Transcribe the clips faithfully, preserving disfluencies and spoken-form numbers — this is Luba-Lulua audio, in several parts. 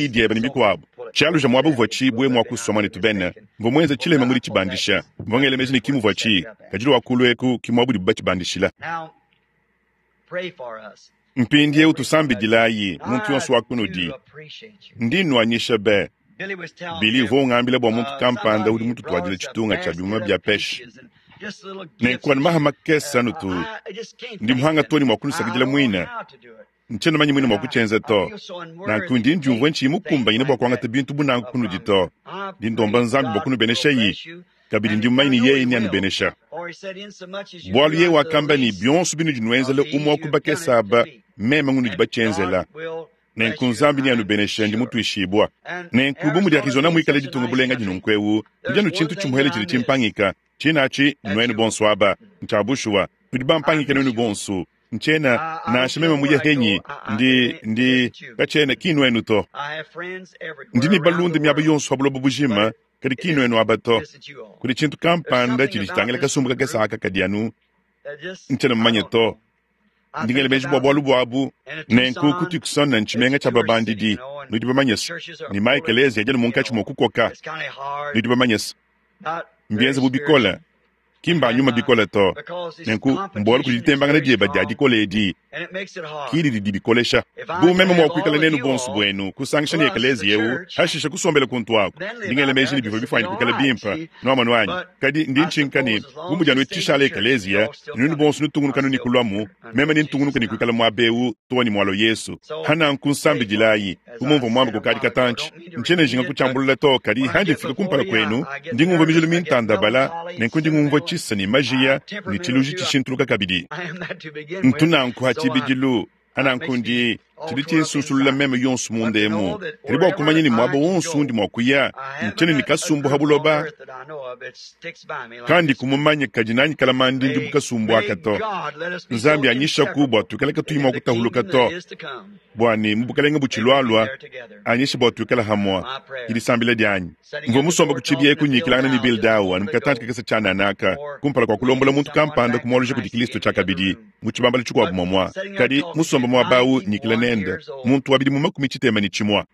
diyi diebe ne bikuabo. Tshialuja muaba uvua tshibue mua kusua muanetu Ben, mvua muenze tshilema mu ditshibandisha. Mvua ngela meji ne ki muvua tshi, kadi lua kulu eku ki muaba udibu batshibandishila. Now, pray for us. Mpindieu tusambidilayi muntu yonso wa I kunudi. do appreciate you. Ndi nnuanyisha be. Billy was telling Billy me, uvua ungambila bua muntu uh, kampanda somebody udi mututuadile brought us a tshitunga tshia basket bimuma of bia peche. peaches, and Nenku anu maha makese anu tu ndi muhanga to ne mua kunusakidila muine. Ntshiena mumanye muine mua kutshienza to. Nanku ndi ndiumvua ntshiyi mukumbanyine bua kuangata bintu bu nanku kunudi to. Ndi ndomba Nzambi bua kunubeneshayi, kabidi ndi mumanye ne yeye neanubenesha. Bualu yeye wakamba ne bionso binudi nuenzela umue wa ku bakese aba, meme ngunudi batshienzela. Nenku Nzambi neanubeneshe, ndi mutuishibua. Nenku bu mudi Arizona muikale ditunga bulenga dinunku ewu, kudi anu tshintu tshimuele tshidi tshimpangika. Tshinatshi nuenu bonso aba, ntshia bushuwa, nudi bampangike nuenu bonso. Ntshiena nansha meme muye henyi, ndi ndi katshiena ki nuenu to. Ndi ne balunda miaba yonso pa buloba bujima, kadi ki nuenu aba to. Kudi tshintu kampanda tshidi tshitangila kasumbu kakese aka kadi anu ntshiena mumanye to. Ndi ngela meji bua bualu buabu. Nenku ku Tucson ntshimenga tshia babandidi, nudi bamanye se, ne ma ekelezia adi anu munkatshi mua kukoka, nudi bamanye se, mbienze bu bikole, ki mba nyuma bikole to. Nenku mbualu kudi ditembangana dieba dia dikola edi ki didi dibikolesha. Bu meme mua kuikala nenu bonso buenu, kusangisha ne ekelezia eu, hashishe kusombela kuntu aku. Ndi ngela meji ne bivua bifuanyine kuikala bimpe, nuamonu anyi? Kadi ndi ntshinka ne bu mudi anu tshishala ekelezia, nuenu bonso nutungunuka ne kuluamu, meme nintungunuka ne kuikala muaba eu too ne mualua Yesu. Hananku nsambidilayi, bu mumvua muambe kukadi katantshi. Ntshiena njinga kutshiambulula to, kadi handi mfika kumpala kuenu, ndi ngumvua mijulu mintandabala, nenku ndi ngumvua tshisa ne majiya ne tshiluji tshishintuluka kabidi. Ntu nanku ha tshibidilu, hananku ndi tshidi tshinsunsulula meme yonso munda emu. Kadi bua kumanya ne muaba wonso undi mua kuya, ntshiena ne kasumbu ha buloba, kandi kumumanya kadi nanyi kalamandi ndi bu kasumbu aka to. Nzambi anyishaku bua tuikale katuyi mua kutahuluka to, bua ne mu bukalenge butshilualua anyishe bua tuikale hamua. Idisambila dianyi. Mvua musomba ku tshibi eku nyikilangana ne Bill Dow anu mukatantshi kakese tshiananaka kumpala kua kulombola muntu kampanda kumualuja kudi Kristo tshiakabidi mu tshibambalu tshikuabu muamua. Kadi musomba muaba awu nyikila nende muntu wa bidimu makumi tshitema ne tshimua.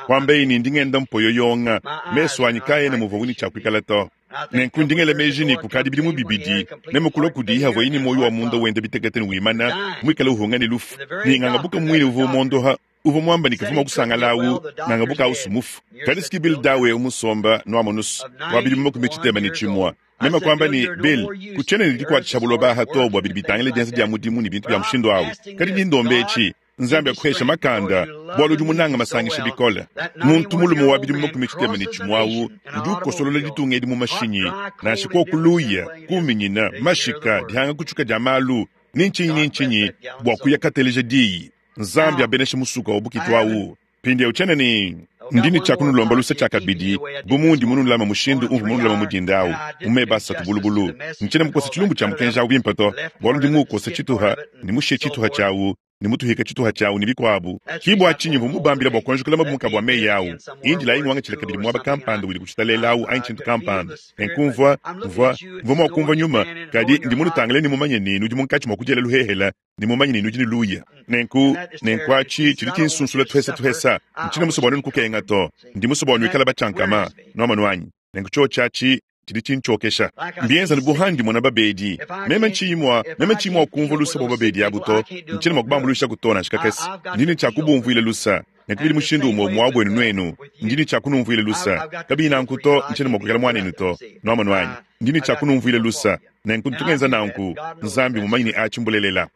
Kwambeyi ne ndi ngenda mpoyoyonga, mesu anyi kaena muvua ne tshiakuikala to. Nenku ndi ngela meji ne kukadi bidimu bibidi, meme kulua kudi havuaye ne muoyo wa munda wenda bitekete ne wimana, muikale uhunga ne lufu. Ne ngangabuka muine uvua umondoha, uvua muamba ne kavua mua kusangala awu, ngangabuka awu sumufu. Kadi siki Bill Dow eu musomba nuamonusu wa bidimu makumi tshitema ne tshimua. Meme kwamba ne Bill, kutshiena ne dikuatshisha buloba aha to bua bidi bitangila dienza dia mudimu ne bintu bia mushindu awu. Kadi ndi ndomba etshi, Nzambi akuhesha makanda, bualu udi munanga masangisha bikole. Muntu mulume wa bidimu makumi tshitema ne tshimue awu udi ukosolola ditunga edi mu mashinyi, nansha kokuluya, kuminyina, mashika, dihanga kutshuka dia malu, ni ntshinyi ni ntshinyi bua kuya kateleja diyi. Nzambi abeneshe musuka wa bukitu awu. Mpindieu tshiena ne ndi ne tshiakunulomba lusa tshiakabidi, bu mundi munulama mushindu umvua munulama mudinda awu, mu meba asatu bulubulu. Ntshiena mukosa tshilumbu tshia mukenji awu bimpe to, bualu ndi muukosa tshituha ne mushiye tshituha tshiawu, ne mutuhika tshituha tshiawu ne bikuabu. Ki bua tshinyi mvua mubambila bua kuanjukula mabumuka bua meyi awu. Indilayi ngwangatshila kabidi muaba kampanda udi kutshitalela awu anyi tshintu kampanda. Nenku mvua, mvua, mvua mua kumvua nyuma, kadi ndi munutangile ne mumanye ne nudi munkatshi mua kudiela luhehela, ne mumanye ne nudi ne luya. Nenku, nenku atshi tshidi tshinsunsula tuhesa tuhesa. Ntshiena musue bua nuenu kukenga to. Ndi musue bua nuikale batshiankama, nuamonu anyi. Nenku tshiotshi atshi tshidi tshintshiokesha. Mbienza ne buhandi mona babedi. Meme ntshiyi mua, meme ntshiyi mua kumvua lusa bua babedi abu to. Ntshiena mua kubambuluisha ku to nansha kakese. Ndi ne tshia kubumvuila lusa. Nenku bidi mushindu umue umue wa buenu nuenu. Ndi ne tshia kunumvuila lusa. Kabiyi nanku to, ntshiena mua kuikala muanenu to. Nuamonu anyi? Ndi ne tshia kunumvuila lusa. Nenku ntu ngenza nanku, Nzambi mumanyi ne atshi mbulelela.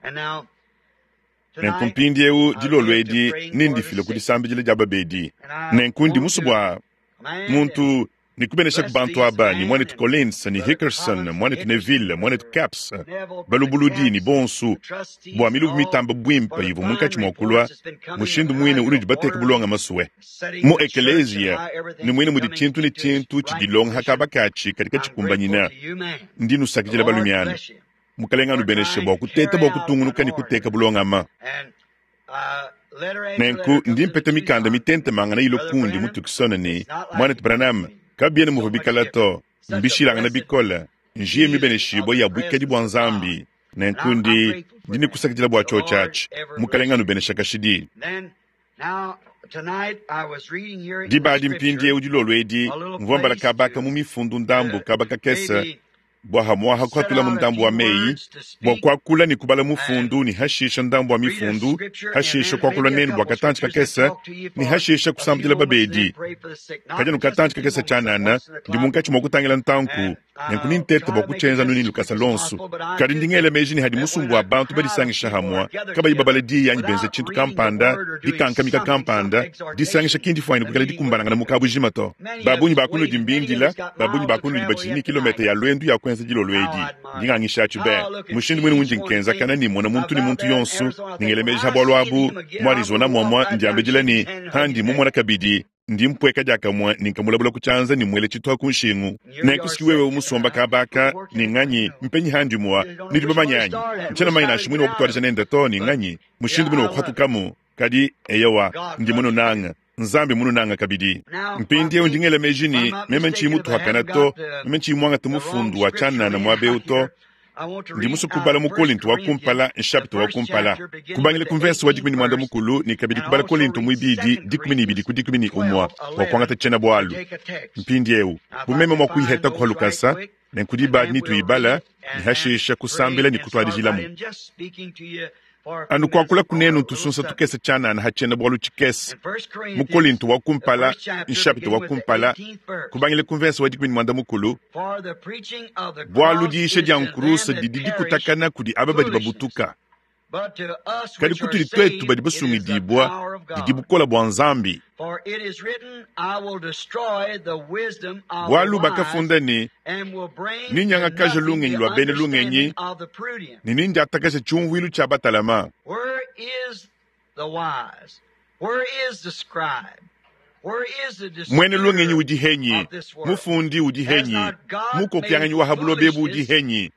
Nenku mpindieu dilolo edi nindifile ku disambidila dia babedi. Nenku ndi musue bua muntu ne kubenesha ku bantu aba ne mwanetu Collins ne Hickerson, mwanetu Neville, mwanetu Caps, balubuludi ne bonsu bua milubu mitamba buimpe ivua munkatshi mua kulua mushindu muine unudi bateka bulonga masue. Mu ekelezia ne muine mudi tshintu ne tshintu tshidilonga hakabakatshi kadi katshikumbanyina. Ndi nusakidila balumiana. Mukalenga anubeneshe bua kuteta bua kutungunuka ne kuteka bulongama. Nenku ndi mpeta mikanda mitentemangana ilo kundi mu Tucson ne mwanetu Branham kabiena muvua bikala to, mbishilangana bikole, njiye mibeneshibua ya buikadi bua Nzambi. Nenku ndi ndi ne kusakidila bua tshiotshi atshi. Mukalenga anubenesha kashidi. Diba adi mpindieu dilolo edi, mvua mbala kabaka mu mifundu ndambu kabaka kese bua hamuaha kuhatula mu ndambu wa meyi, bua kuakula ne kubala mufundu ne hashisha ndambu wa mifundu, hashisha kuakula nenu bua katantshi kakese ne hashisha kusambidila babedi. Kadi anu katantshi kakese tshianana, ndi munkatshi mua kutangila ntanku, Nenku nintete bua kutshienza nuni lukasa lonso. Kadi ndi ngela meji ne hadi musumbu wa bantu badisangisha hamua, kabayi babala diyi anyi benza tshintu kampanda, dikankamika kampanda, disangisha ki ndifuanyine kuikala dikumbanangana mu kabujima to. Babunyi ba kunudi mbindila, babunyi ba kunudi batshidi ne kilometa ya lwendu ya kuenza dilolo edi. Ndi ngangisha be. Mushindu mwene undi nkenzakana ni mona muntu ni muntu yonso, ningela meji ha bualu abu, mu Arizona mwamwa ndiambedila ni handi mumona kabidi ndi mpweka diakamue ni nkamulabula ku tshianza ni mwele tshituha ku nshingu. Nenku wewe umusomba kabaka ni nganyi mpenyi handi mwa ni bamanyanyi. Ntshiena manya nansha mwene wa kutwalija nende to ni nganyi mushindu mwene wa kuhatukamu. Kadi eyowa ndi mununanga. Nzambi mununanga kabidi. Mpindieu ndi ngela meji ni meme ntshiyi mutuhakana to, meme ntshiyi muangata mufundu wa tshianana muaba eu to. Ndi musu kubala mu Kolinto wa kumpala, nshapita wa kumpala. Kubangila ku mvese wa dikumi ne muanda mukulu ne kabidi kubala Kolinto muibidi dikumi ne ibidi ku dikumi ne umua bua kuangata tshiena-bualu. Mpindieu bu meme mua kuyiheta kuha lukasa, nenku diba nituibala ne hashisha kusambila ne kutuadijilamu. Anu kuakula kunenu ntusunsa tukese tshianana ha tshiena-bualu tshikese. Mu Kolinto wa kumpala, nshapita wa kumpala, kubangila ku mvese wa dikumi ne muanda mukulu, bualu diisha dia nkurusa didi dikutakana kudi aba badi babutuka. Kadi kutudi twetu badi basungidibwa, didi bukola bua Nzambi. Bualu bakafunda ne, ninyangakaja lungenyi lua bena lungenyi, ne nindiatakaja tshiumvuilu tshia batalama. Mwene lungenyi udi henyi, mufundi udi henyi, mukokyanganyi wa habulobebu udi henyi.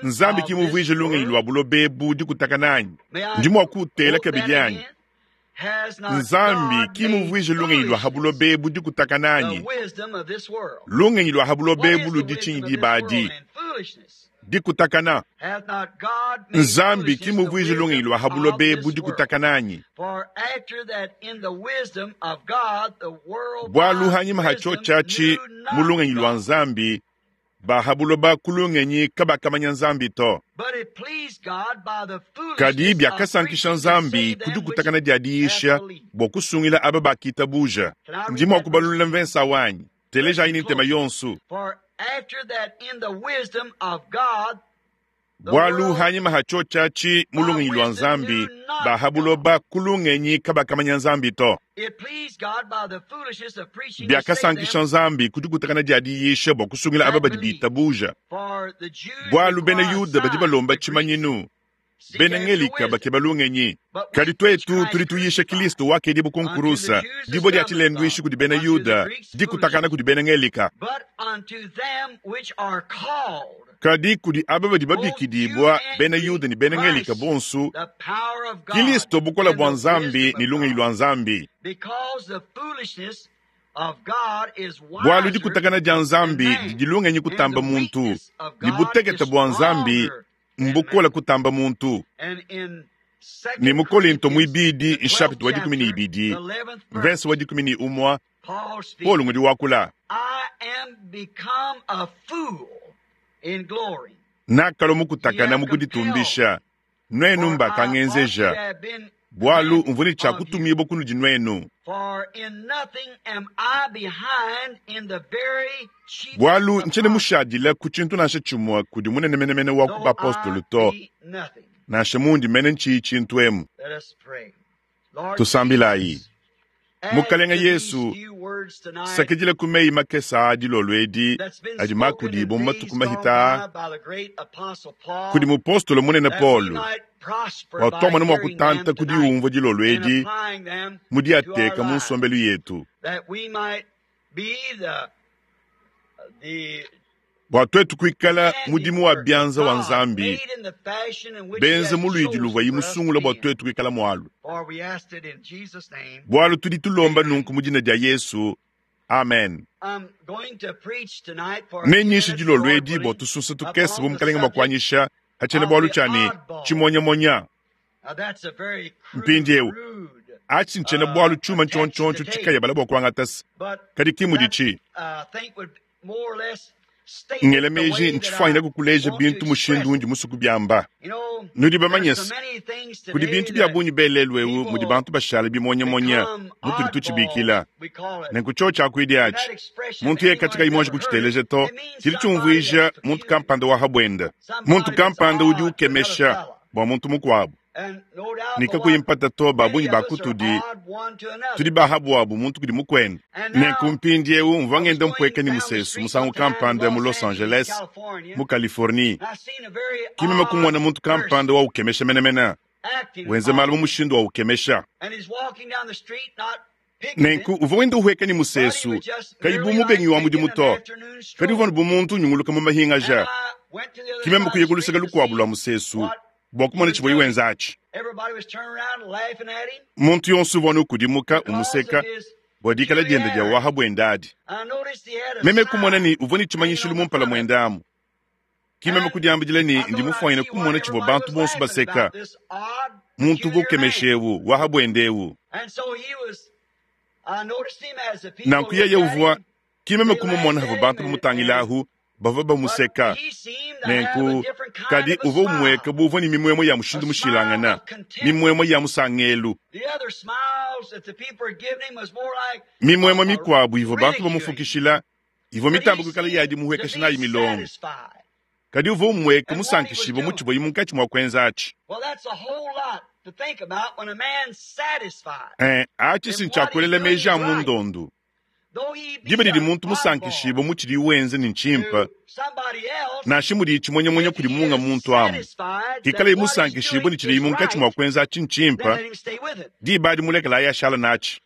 Nzambi ki muvuije lungenyi lua bulobebu dikutakana anyi? Ndi mua kutela kabidi anyi? Nzambi ki muvuije lungenyi lua habulobebu dikutakana anyi? Lungenyi lua habulobebu ludi tshinyi dibadi? Dikutakana. Nzambi ki muvuije lungenyi lua habulobebu dikutakana anyi? Bualu hanyima ha tshiotshi mu lungenyi lua Nzambi, bahabuloba ku lungenyi kabakamanya Nzambi to. Kadi biakasankisha Nzambi ku dikutakana dia diisha bua kusungila aba bakitabuja. Ndi mua kubalulula mvensa wanyi. Telejayi ni ntema yonso. Bualu hanyima ha tshiotshi mu lungenyi lua Nzambi, bahabuloba ku lungenyi kabakamanya Nzambi to. Biakasankisha Nzambi ku dikutakana dia diisha bua kusungila aba badi bitabuja. Bualu bena Yuda badi balomba tshimanyinu, bena Ngelika bakeba lungenyi. Kadi twetu tudi tuyisha Kristo wakedibu ku nkurusa, dibua dia tshilendwishi kudi bena Yuda, dikutakana kudi bena Ngelika. Kadi kudi aba badi babikidibwa bena Yuda ne bena Ngelika bonso, Kristo bukola bua Nzambi ne lungenyi lua Nzambi. Bualu dikutakana dia Nzambi didi lungenyi kutamba muntu, ne butekete bua Nzambi mbukola kutamba muntu. Ne mu Kolinto muibidi nshapita wa dikumi ne ibidi, mvese wa dikumi ne umua, Paulo ngudi wakula. Nakalo mukutakana mukuditumbisha, nwenu mbakangenzeja, bualu mvune tshia kutumibwa kunudi nwenu. Bualu ntshiena mushadila ku tshintu nansha tshimue kudi munene menemene wa ku bapostolo to, nansha mundi mene ntshiyi tshintu emu. Tusambilayi. Mukalenga Yesu, sakidila ku meyi makesa a dilolo edi adi makudibwa mu matuku mahita kudi mupostolo munene Paulo, watwamona mua kutanta kudi umvua dilolo edi mu diateka mu nsombelu yetu, bua twetu kuikala mudimu wa bianza wa Nzambi, benze mu luidi luvua musungula bua twetu kuikala mualu. Bualu tudi tulomba nunku mu dina dia Yesu. Amen. Nenyishe dilolo edi bua tusunsa tukese bu mukalenga mua kuanyisha ha tshiena-bualu tshia ne tshimonyamonya. Mpindieu atshi ntshiena-bualu tshiuma ntshiontshiontshio tshikayabala bua kuangatasa, kadi ki muditshi. Ngela meji ntshifwanyina kukuleja bintu mushindu undi musuku byamba. Nudi bamanye se kudi bintu bya bungi belelu ewu mudi bantu bashala bimonyamonya mutudi tutshibikila. Nenku cho tshiakuidi atshi muntu yeye katika imonji kuchiteleja to chili chumvuija muntu kampanda wa habwenda. Muntu kampanda udi ukemesha bwa muntu mukuabu. Nikakuyimpata to babunyi bakutudi tudi bahabwabu muntu kudi mukwenda. Nenku mpindiewu mvua ngenda mpweka ni musesu musangu kampanda mu Los Angeles mu Californie. Kimema kumona muntu kampanda wa ukemesha menemene wenze malu mu mushindu wa ukemesha. Nenku uvua wenda uhweka ni musesu kadi bu mubengi wa mudimu to kadi uvua bu muntu unyunguluka mu mahingaja. Kimema kuya kuluseka lukuabu lwa musesu bwa kumona tshivua wenza atshi. Muntu yonso uvua nukudimuka umuseka bwa dikala diende dia waha bwenda adi. Meme kumona ni uvua ni tshimanyishilu mumpala mwenda amu. Kimeme kudiambidila ni ndi mufwanyina kumona tshivua bantu bonso baseka. Muntu uvua ukemesha ewu waha bwenda ewu. Nanku yeye uvua kimeme kumumona havua bantu bamutangilahu bavua bamuseka. Nenku kadi uvua umweka buvua ni mimwemwe ya mushindu mushilangana, mimwemwe ya musangelu. Mimwemwe mikwabu ivua bantu bamufukishila ivua mitambo kukala yadi muhwekesha nayi milongo. Kadi uvua umweka musankishibwa mutshivua munkatshi mwa kwenza atshi. Eh, atshi sintshiakuelela meji a mundondu. Diba didi muntu musankishibwa mutshidi wenze ni ntshimpa nansha mudi tshimonyamonya kudi munga muntu amu. Kikala musankishibwa ni tshidi munkatshi mwa kwenza atshi ntshimpa diba adi mulekela ayi ashala natshi.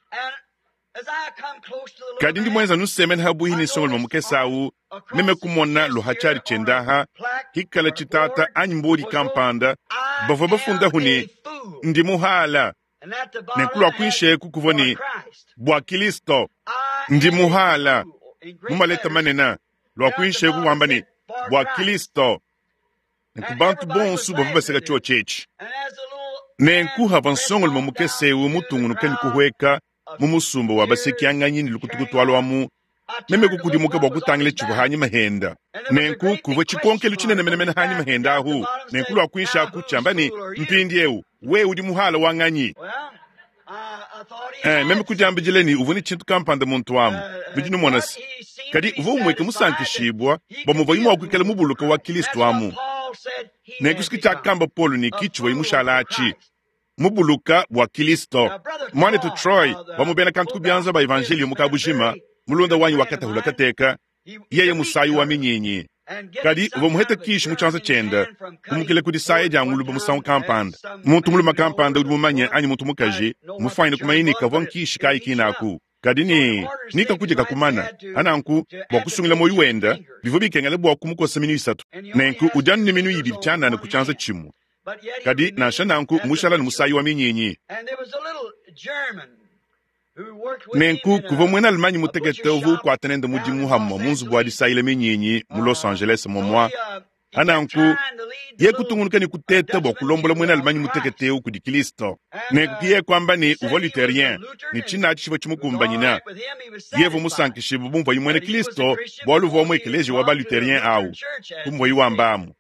Kadi ndi mwenza nusemene habuhi ni nsongoloma mukese awu meme kumona luhatshari tshiendaha hikala tshitata anyi mbodi kampanda bavua bafundahu ni ndi muhala. Nenku lua kuinshi kuvua ni bwa Kristo ndi muhala mumaleta manene lua kuinshi kuwamba ni bwa Kristo. Nenku bantu bonso bavua baseka tshio tshetshi. Nenku hava nsongoloma mukese ewu mutungunuka ni kuhweka mu musumba wa basekianganyi ni lukutuku lwamu meme kukudimuka bwa kutangila tshivua hanyi mahenda. Nenku kuvua tshikonkelu tshinene menemene hanyi mahenda ahu. Nenku lua kuinshi aku tshiamba ni mpindi ewu we udi muhala wa nganyi. Eh, meme kudiambidila ni uvua ni tshintu kampanda muntu amu bidi numona se kadi uvua umweka musankishibwa bwa muvua imwa kuikala mubuluka wa Kristo amu. Nenku siki tshiakamba Paulo ni kitshivua imushala atshi mubuluka bwa Kristo. Mwanetu Troy bamubena kantu kubyanza ba evangelio mukabujima mulunda wanyi wakatahula kateka yeye musayi wa minyinyi. Kadi uvua muhete kishi mu tshianza tshiende kumukile kudi saya dia nguluba musangu kampanda. Muntu muluma kampanda udi mumanye anyi muntu mukaji mufwanyine kumanya ni kavua nkishi kayi kinaku. Kadi ni nikakudya kakumana ananku bwa kusungila moyo wenda bivua bikengela bwa kumukosa minu isatu. Nenku udi anu ni minu ibidi tshianana ku tshianza tshimue. Kadi nansha nanku mushala ni musayi wa minyinyi. Nenku kuvua muena Allemagne mutekete uvua ukuata nende mudimu hamua mu nzubu wa disayila minyinyi mu Los Angeles momua. Ananku ye kutungunuka ni kuteta bwa kulombola muena Allemagne mutekete ewu kudi Kristo. Nenku kiye kuamba ni uvua Lutherien ni tshina tshivua tshimukumbanyina. Yevu musankishibwa bumvua muena Kristo bwalu uvua mu ekeleziya wa ba Lutherien awu kumvua wamba amu.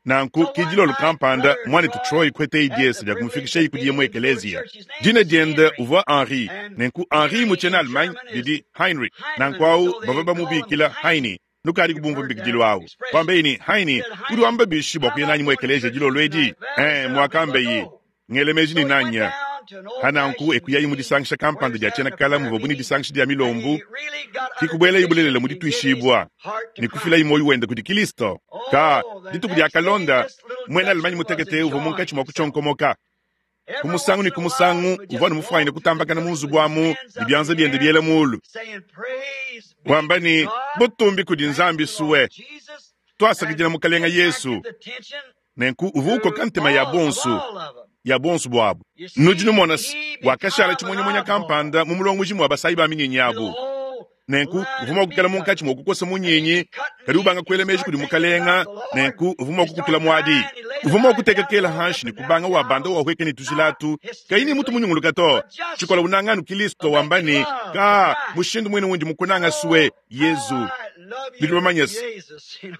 Nanku kidilolo kampanda mwanetu Troy kwete idiesa dia kumufikisha kudi mu ekeleziya. Dina diende uvua Henri. Nenku Henri mu tshiena Allemagne didi Heinrich. Nanku awu bavua bamubikila Heini. Nukadi kubumva mbikidilu awu. Kwambeyi Heini udi wamba bishi bwa kuya nanyi mu ekeleziya dilolo edi? Eh, mwakambeyi ngele meji ni nanya. Hananku ekuyayi mu disangisha kampanda dia tshiena kala muvua buni disangisha dia milombu kikubwela ibulelela mu dituishibwa ni kufila imoyo wenda kudi Kristo. Ka dituku dia kalonda mwena Allemagne mutekete uvua munkatshi mwa kutshonkomoka. Kumusangu ni kumusangu uvua numufwanyine kutambakana mu nzubu amu ni byanza biende biela mulu. Wamba ni butumbi kudi Nzambi suwe twasakidila mukalenga Yesu. Nenku uvua ukoka ntema ya bonsu ya bonsu bwabu. Nudi numona se wakashala tshimonyamonya kampanda mu mulongoji mwa basayi ba minyinyi abu. Nenku uvua mua kukala munkatshi mua kukosa munyinyi kadi ubanga kuela meji kudi mukalenga. Nenku uvua mua kukutula muadi. Uvua mua kuteka kela hanshi ni kubanga wa banda wahweka ni tujilatu kayi ni mutu munyunguluka to. Tshikola unanganu Kristo wamba ni ka mushindu mwene wundi mukunanga suwe Yesu. Nudi bamanye se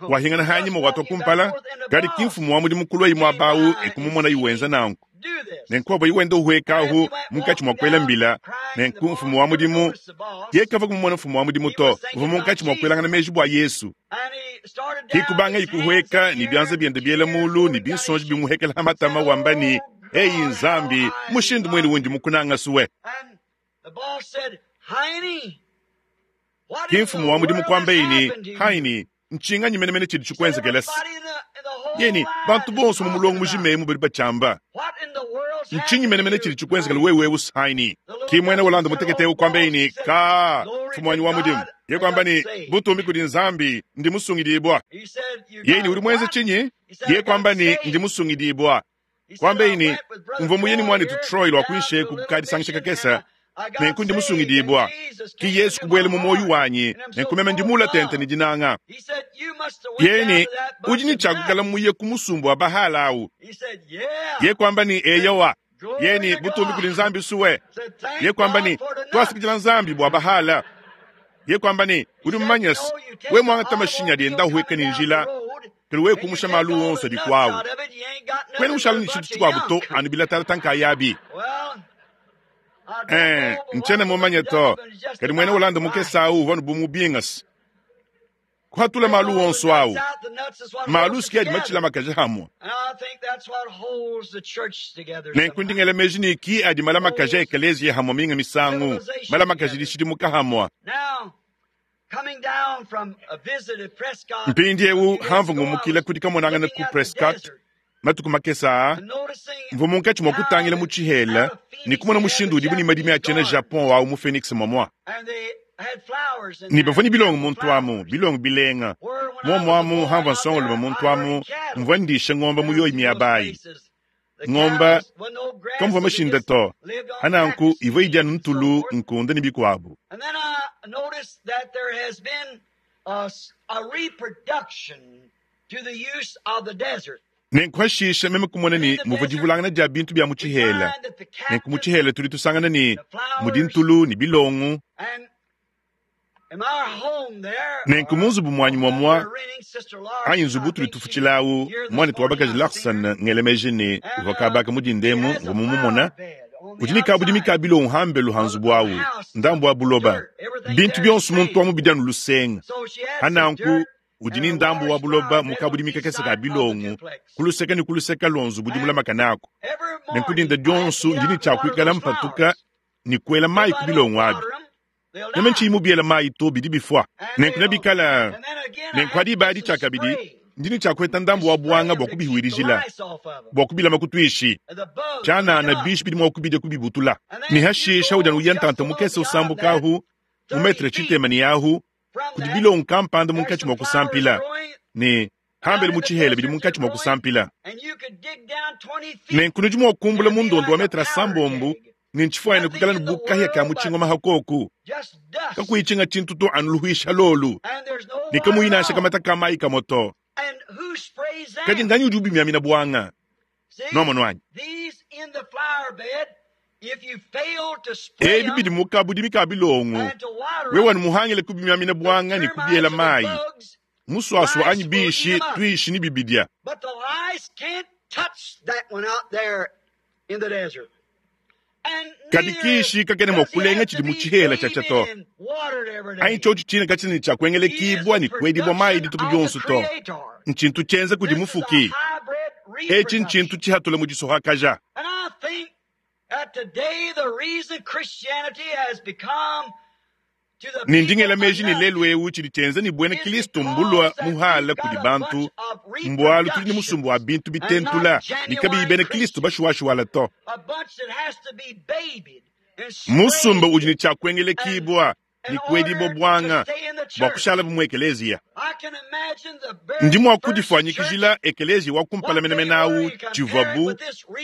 wahingana hanyima watwa kumpala kadi ki mfumu wa mudimu kulwa imwe abawu ekumumona iwenza nanku. Nenku avua iwenda uhuekahu munkatshi mua kuela mbila. Nenku mfumu wa mudimu yekava kumumona mfumu wa mudimu to uvua munkatshi mua kuelangana meji bua Yesu. Kikubanga ikuhueka ni byanza biende biela mulu ni binsonji bimuhekela hamatama wamba ni eyi nzambi mushindu mwene wundi mukunanga suwe. Ki mfumu wa mudimu kwamba ini haini nchinganyi menemene chidi chikwenzekelesa. Yeni bantu bonso mu mulongo mujimemu bali bachamba. Nchinyi menemene chidi chikwenzekela wewe usaini. Ki mwene wolanda mutekete kwamba ini ka mfumu wanyi wa mudimu. Ye kwamba ni butumbi kudi nzambi ndi musungidibwa. Yeni uri mwenze chinyi? Ye kwamba ni ndi musungidibwa. Kwamba ini mvo muyeni mwani tu Troy lwa kuishe kukadisangisha kakesa. Nenku ndi musungidibwa. Ki Yesu kubwele mu moyo wanyi nenkumeme ndimula tente ni dinanga. Yeni udi ni chakukala muye kumusumbu wa bahala awu. Ye kwamba ni eyowa. Yeni butumbi kuli nzambi suwe. Ye kwamba ni twasikijila nzambi bwa bahala. Ye kwamba ni udi mmanyasi we mwanga tamashinya dienda huweka ni njila. Kili we kumusha malu wonso di kwawu. Kwene ushala ni chitu chikwabu to anubila tala tanka yabi. Eh, nchene mumanye to kadi mwene ulanda mukesa awu vanu bumubingasi. Kuhatula malu wonso awu. Malu siki adi machila makaja hamwa. Nenku ndingela meji ni ki adi mala makaja ekelezia hamwa minga misangu. Mala makaja dishidimuka hamwa. Mpindi ewu hamvu ngumukila kudi kamonangana ku Prescott. Matuku makesa mvu munkatshi mua kutangila mu tshihela ni kumona mushindu udibu ni madimi achena Japon wawu mu Phoenix momwa. Ni bavua ni bilongo muntu amu, bilongo bilenga. Momwamu hamva nsongoluma muntu amu, mvua ndisha ng'omba muyoyi miabayi. Ng'omba kamvua mashinda to, hananku ivua idya ntulu nkunda ni bikuabu. Nenku hashisha meme kumona ni muvua divulangana dia bintu bia mu tshihela. Nenku mu tshihela tudi tusangana ni mudi ntulu ni bilongo. Nenku mu nzubu muanyi muamua anyi nzubu tudi tufutshilawu muanetu wa bakaji Larson ngelemeji ni uvua kabaka mudindemu mvua mumumona. Udi ni kabudimi ka bilongo hambelu ha nzubu awu ndambu wa buloba. Bintu bionso muntu amu bidi anu lusenga. Hananku udi ni ndambu wa buloba mukabudimi kakese ka bilongo kuluseka ni kuluseka lonzo budi mulamakana ako. Nenku dinda dionso ndini tshiakuikala mpatuka ni kuela mayi ku bilongo abi. Neme ntshiyi mubiela mayi to bidi bifua. Nenku nebikala nenku adi ibadi tshiakabidi ndini tshiakueta ndambu wa bwanga bua kubihuirijila bua kubilama kutuishi. Tshianana bishi bidi mua kubidia kubibutula. Ni hashisha udi anu uya ntanta mukese usambuka ahu mu metre tshitema ni ahu kudi bilongo kampanda munkatshi mua kusampila ni hambele mu tshihela bidi munkatshi mua kusampila. Nenku nudi mua kumbula mundondo wa metre asambombu ni ntshifuanyine kukala ni bukahya ka mutshingoma hakoku. Kakuitshinga tshintu to anu luhuisha lolu. Ni kamuyinasha kamata ka mayi kamoto. Kadi nganyi udi ubimyamina bwanga? Nomono anyi. Ebi bidi mukabudimi ka bilongo. Wewe ni muhangile kubimyamina bwanga ni kubiela mayi. Muswaswa anyi bishi tuishi ni bibidia. Kadi kishi kakene mua kulenga tshidi mu tshihela tshia to. Anyi tshiotshi tshina katshina tshia kuengelekibwa ni kuedibwa mayi dituku dionso to. Ntshintu tshienza kudi mufuki. Etshi ntshintu tshihatula mu disohakaja. Ni ndingela meji ni lelu ewu tshidi tshienza ni bwena Kristo mbulwa muhala kudi bantu mbwalu tudi ni musumbu wa bintu bitentula ni kabiyi bena Kristo bashuwashuwala to. Musumba udi ni tshiakuengelekibwa ni kuedibwa bwanga bua kushala mu ekelezia. Ndi mua kudifuanyikijila ekelezia wa kumpala menemene awu tshivuabu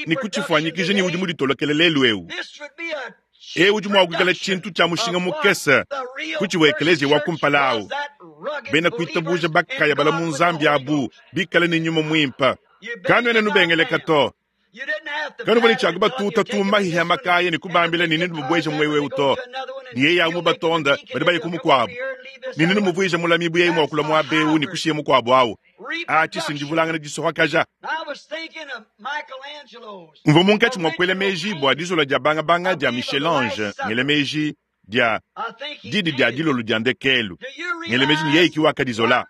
ni kutshifuanyikija ni udi muditolokele lelu ewu. E udi mua kuikala tshintu tshia mushinga mukese kutshiwa ekelezia wa kumpala awu. Bena kuitabuja bakaya bala mu nzambi abu bikale ni nyuma mwimpa. Kanuena nubengeleka to. Kanuvua ne tshia kubatuta tumbahiha makaya ne kubambila ne nenububweje mwewewu to. Ne yeye awu mubatonda badi baye ku mukuabu. Ne nenumuvuije mulami bu yeye muakula muaba ewu ne kushiya mukuabu awu. Atshi ndivulangana disohakaja. Mvua munkatshi mua kuela meji bua dizola dia bangabanga dia Michel-Ange ngela meji dia didi dia dilolo dia ndekelu. Ngela meji ne yeye ki wakadizola.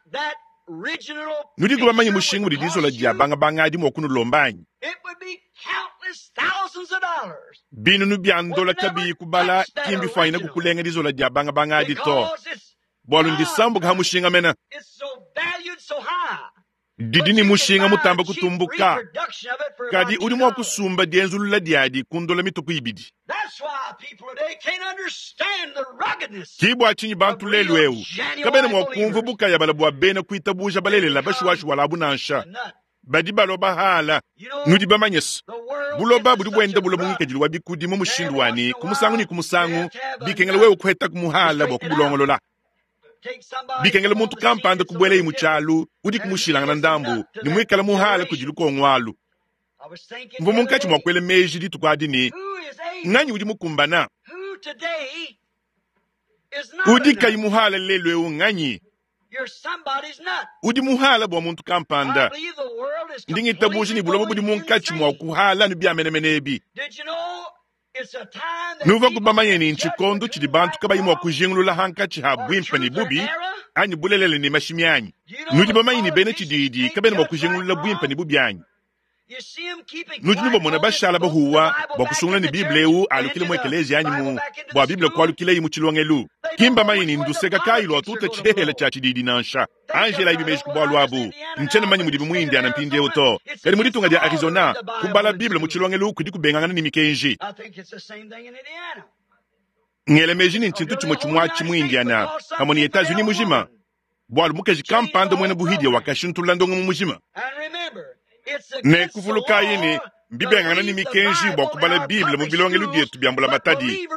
Nudi bamanye mushinga udi dizola dia bangabanga adi mua kunulomba anyi? Binunu bia ndola kabiyi kubala ki mbifwanyine kukulenga dizola dia bangabanga adi to. Bwalu ndisambuka ha mushinga mena. Didi ni mushinga mutamba kutumbuka. Kadi udi mua kusumba dienzulula diadi kundola mituku ibidi. Ki bua tshinyi bantu lelu eu kabena mua kumva bukaya bala bua bena kuitabuja balelela bashiwashiwa labu nansha. Badi balua bahala. Nudi bamanye se buloba budi buenda buloba ngikadilu wa bikudi mu mushindu wani ku musangu ne ku musangu bikengela wewe kuheta ku muhala bua kubulongolola. Bikengela muntu kampanda kubuela mu tshialu udi kumushilangana ndambu ne muikala muhala kudi lukongo alu. Mvua munkatshi mua kuela meji dituku adi ne nganyi udi mukumbana? Udi kayi muhala lelu eu nganyi? Udi muhala bua muntu kampanda. Ndi ngitabuja ne buloba budi munkatshi mua kuhala ne bia menemene ebi. Nuva kubamanye ne ntshikondo tshidi bantu kabayi mua kujingulula hankatshi ha buimpe ne bubi anyi bulelele ne mashimi anyi. Nudi bamanye ne bena tshididi kabena mua kujingulula buimpe ne bubi anyi. Nudi nubamona bashala bahuwa bua kusungula ne Bible eu alukile mu ekelezia anyi mu bua Bible kualukileyi mu tshilongelu. Ki mbamanye ne nduseka kayi lua tuta tshihehela tshia tshididi nansha. Angela ibi meji ku bualu abu. Ntshiena manye mudibi mu Indiana mpindieu to. Kadi mu ditunga dia Arizona kubala Bible mu tshilongelu kudi kubengangana ne mikenji. Ngela meji ne ntshintu tshimue tshimuatshi mu Indiana pamue ne Etats-Unis mujima. Bualu mukaji kampanda muena buhidia wakashintulula ndongo mu mujima. Ne kuvulukayi ne mbibengangana ne mikenji bua kubala Bible mu bilongelu bietu bia mbulamatadi.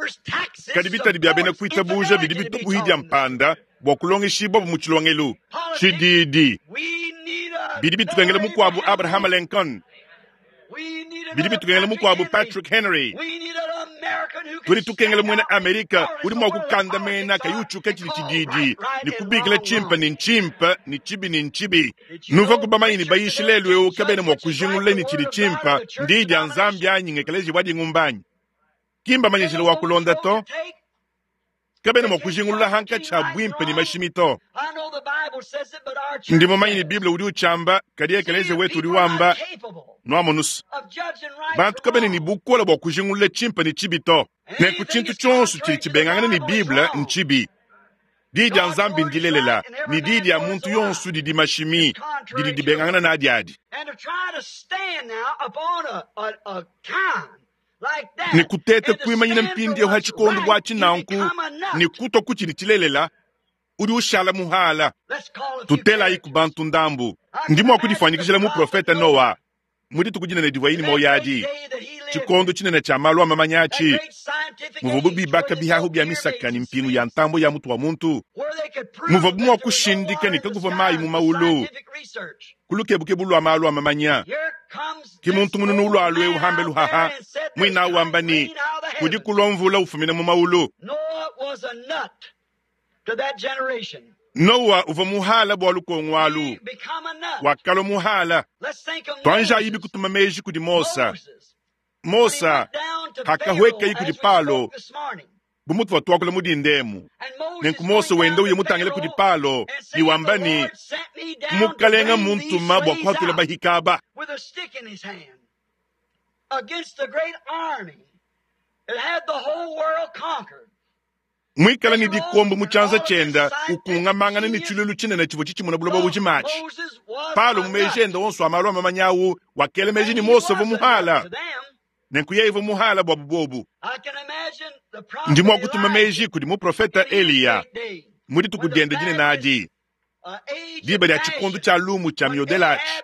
Kadi bitadi bia bena kuitabuja bidi bitubuhidia mpanda bua kulongeshibwa mu tshilongelu. Tshididi bidi bitukengela mukuabu Abraham Lincoln. Bidi bitukengela mukuabu Patrick Henry. Tudi tukengela muena Amerika udi mua kukandamena kayi utshuka tshidi tshididi ne kubikila tshimpe ne ntshimpe ne tshibi ne ntshibi. Nuva kubamanye ne bayishi lelu eu kabena mua kujingulula ne tshidi tshimpe ndi dia Nzambi anyi ngekeleji bua dingumba anyi. Ki mbamanye njila wa kulonda to. Kabena mua kujingulula hankatshi ha buimpe ne mashimi to. Ndi mumanye ne Bible udi utshamba kadi ekelezia wetu udi wamba nuamonusa. Bantu kabena ne bukola bua kujingulula tshimpe ne tshibi to. Nenku tshintu tshionso tshidi tshibengangana ne Bible ntshibi. Di dia Nzambi ndilelela ne di dia muntu yonso didi mashimi didi dibengangana nadi adi. Ne kuteta kuimanyina mpindieu ha tshikondo bua tshinanku ne kutwa kutshidi tshilelela udi ushala muhala. Tutelayi ku bantu ndambu. Ndi mua kudifuanyikijila mu profeta Noa mu dituku dinene divua yini moyo adi. Tshikondo tshinene tshia malu a mamanya atshi muvuabu bibaka bihahu bia misaka ne mpingu ya ntambo ya mutu wa muntu. Muvuabu mua kushindika ne kakuvua mayi mu maulu kulukebukebu lua malu a mamanya. Ki muntu mununu ulua eu hambe luhaha mwina wamba ni kudi kulua mvula ufumina mu maulu. Noa uvua muhala bua lukongo alu. Wakalua muhala. Twanja ibi kutuma meji kudi Mosa. Mosa hakahwekayi kudi Palo bu mutu wa tuakula mudindemu. Nenku Mose wenda uye mutangile kudi Palo ne wamba ni mukalenga muntuma bua kuhatula bahikaba. Mwikala ni dikombo mu tshianza tshienda ukungamangana ne tshilulu tshinene tshivua tshitshimuna buloba bujimatshi. Palo mu meji enda onso a malu a mamanyawu wakela meji ni Mose uvua muhala. Nenku yeye uvua muhala bua bubobu. Ndi mua kutuma meji kudi muprofeta Eliya mu dituku diende dinene adi. Diba dia tshikondo tshia lumu tshia miodelatshi.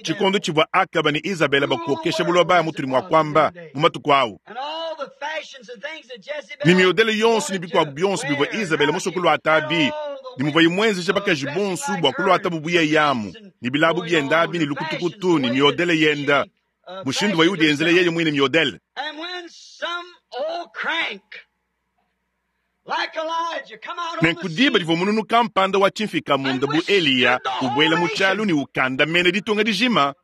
Tshikondo tshivua Akaba ne Isabela bakokesha buloba mutudi mua kuamba mu matuku awu. Ne miodele yonso ne bikuabu bionso bivua Isabela musue kuluata abi ne muvua imwenzesha bakaji bonso bua kuluata bubuye yamu ne bilabu bienda abi ne lukutukutu ne miodele yenda Mushindu wa udienzela yeye mwine miodele. Nenku diba divua mununu kampanda wa tshimfika-munda bu Eliya ubuela mu tshialu ne ukandamena ditunga dijima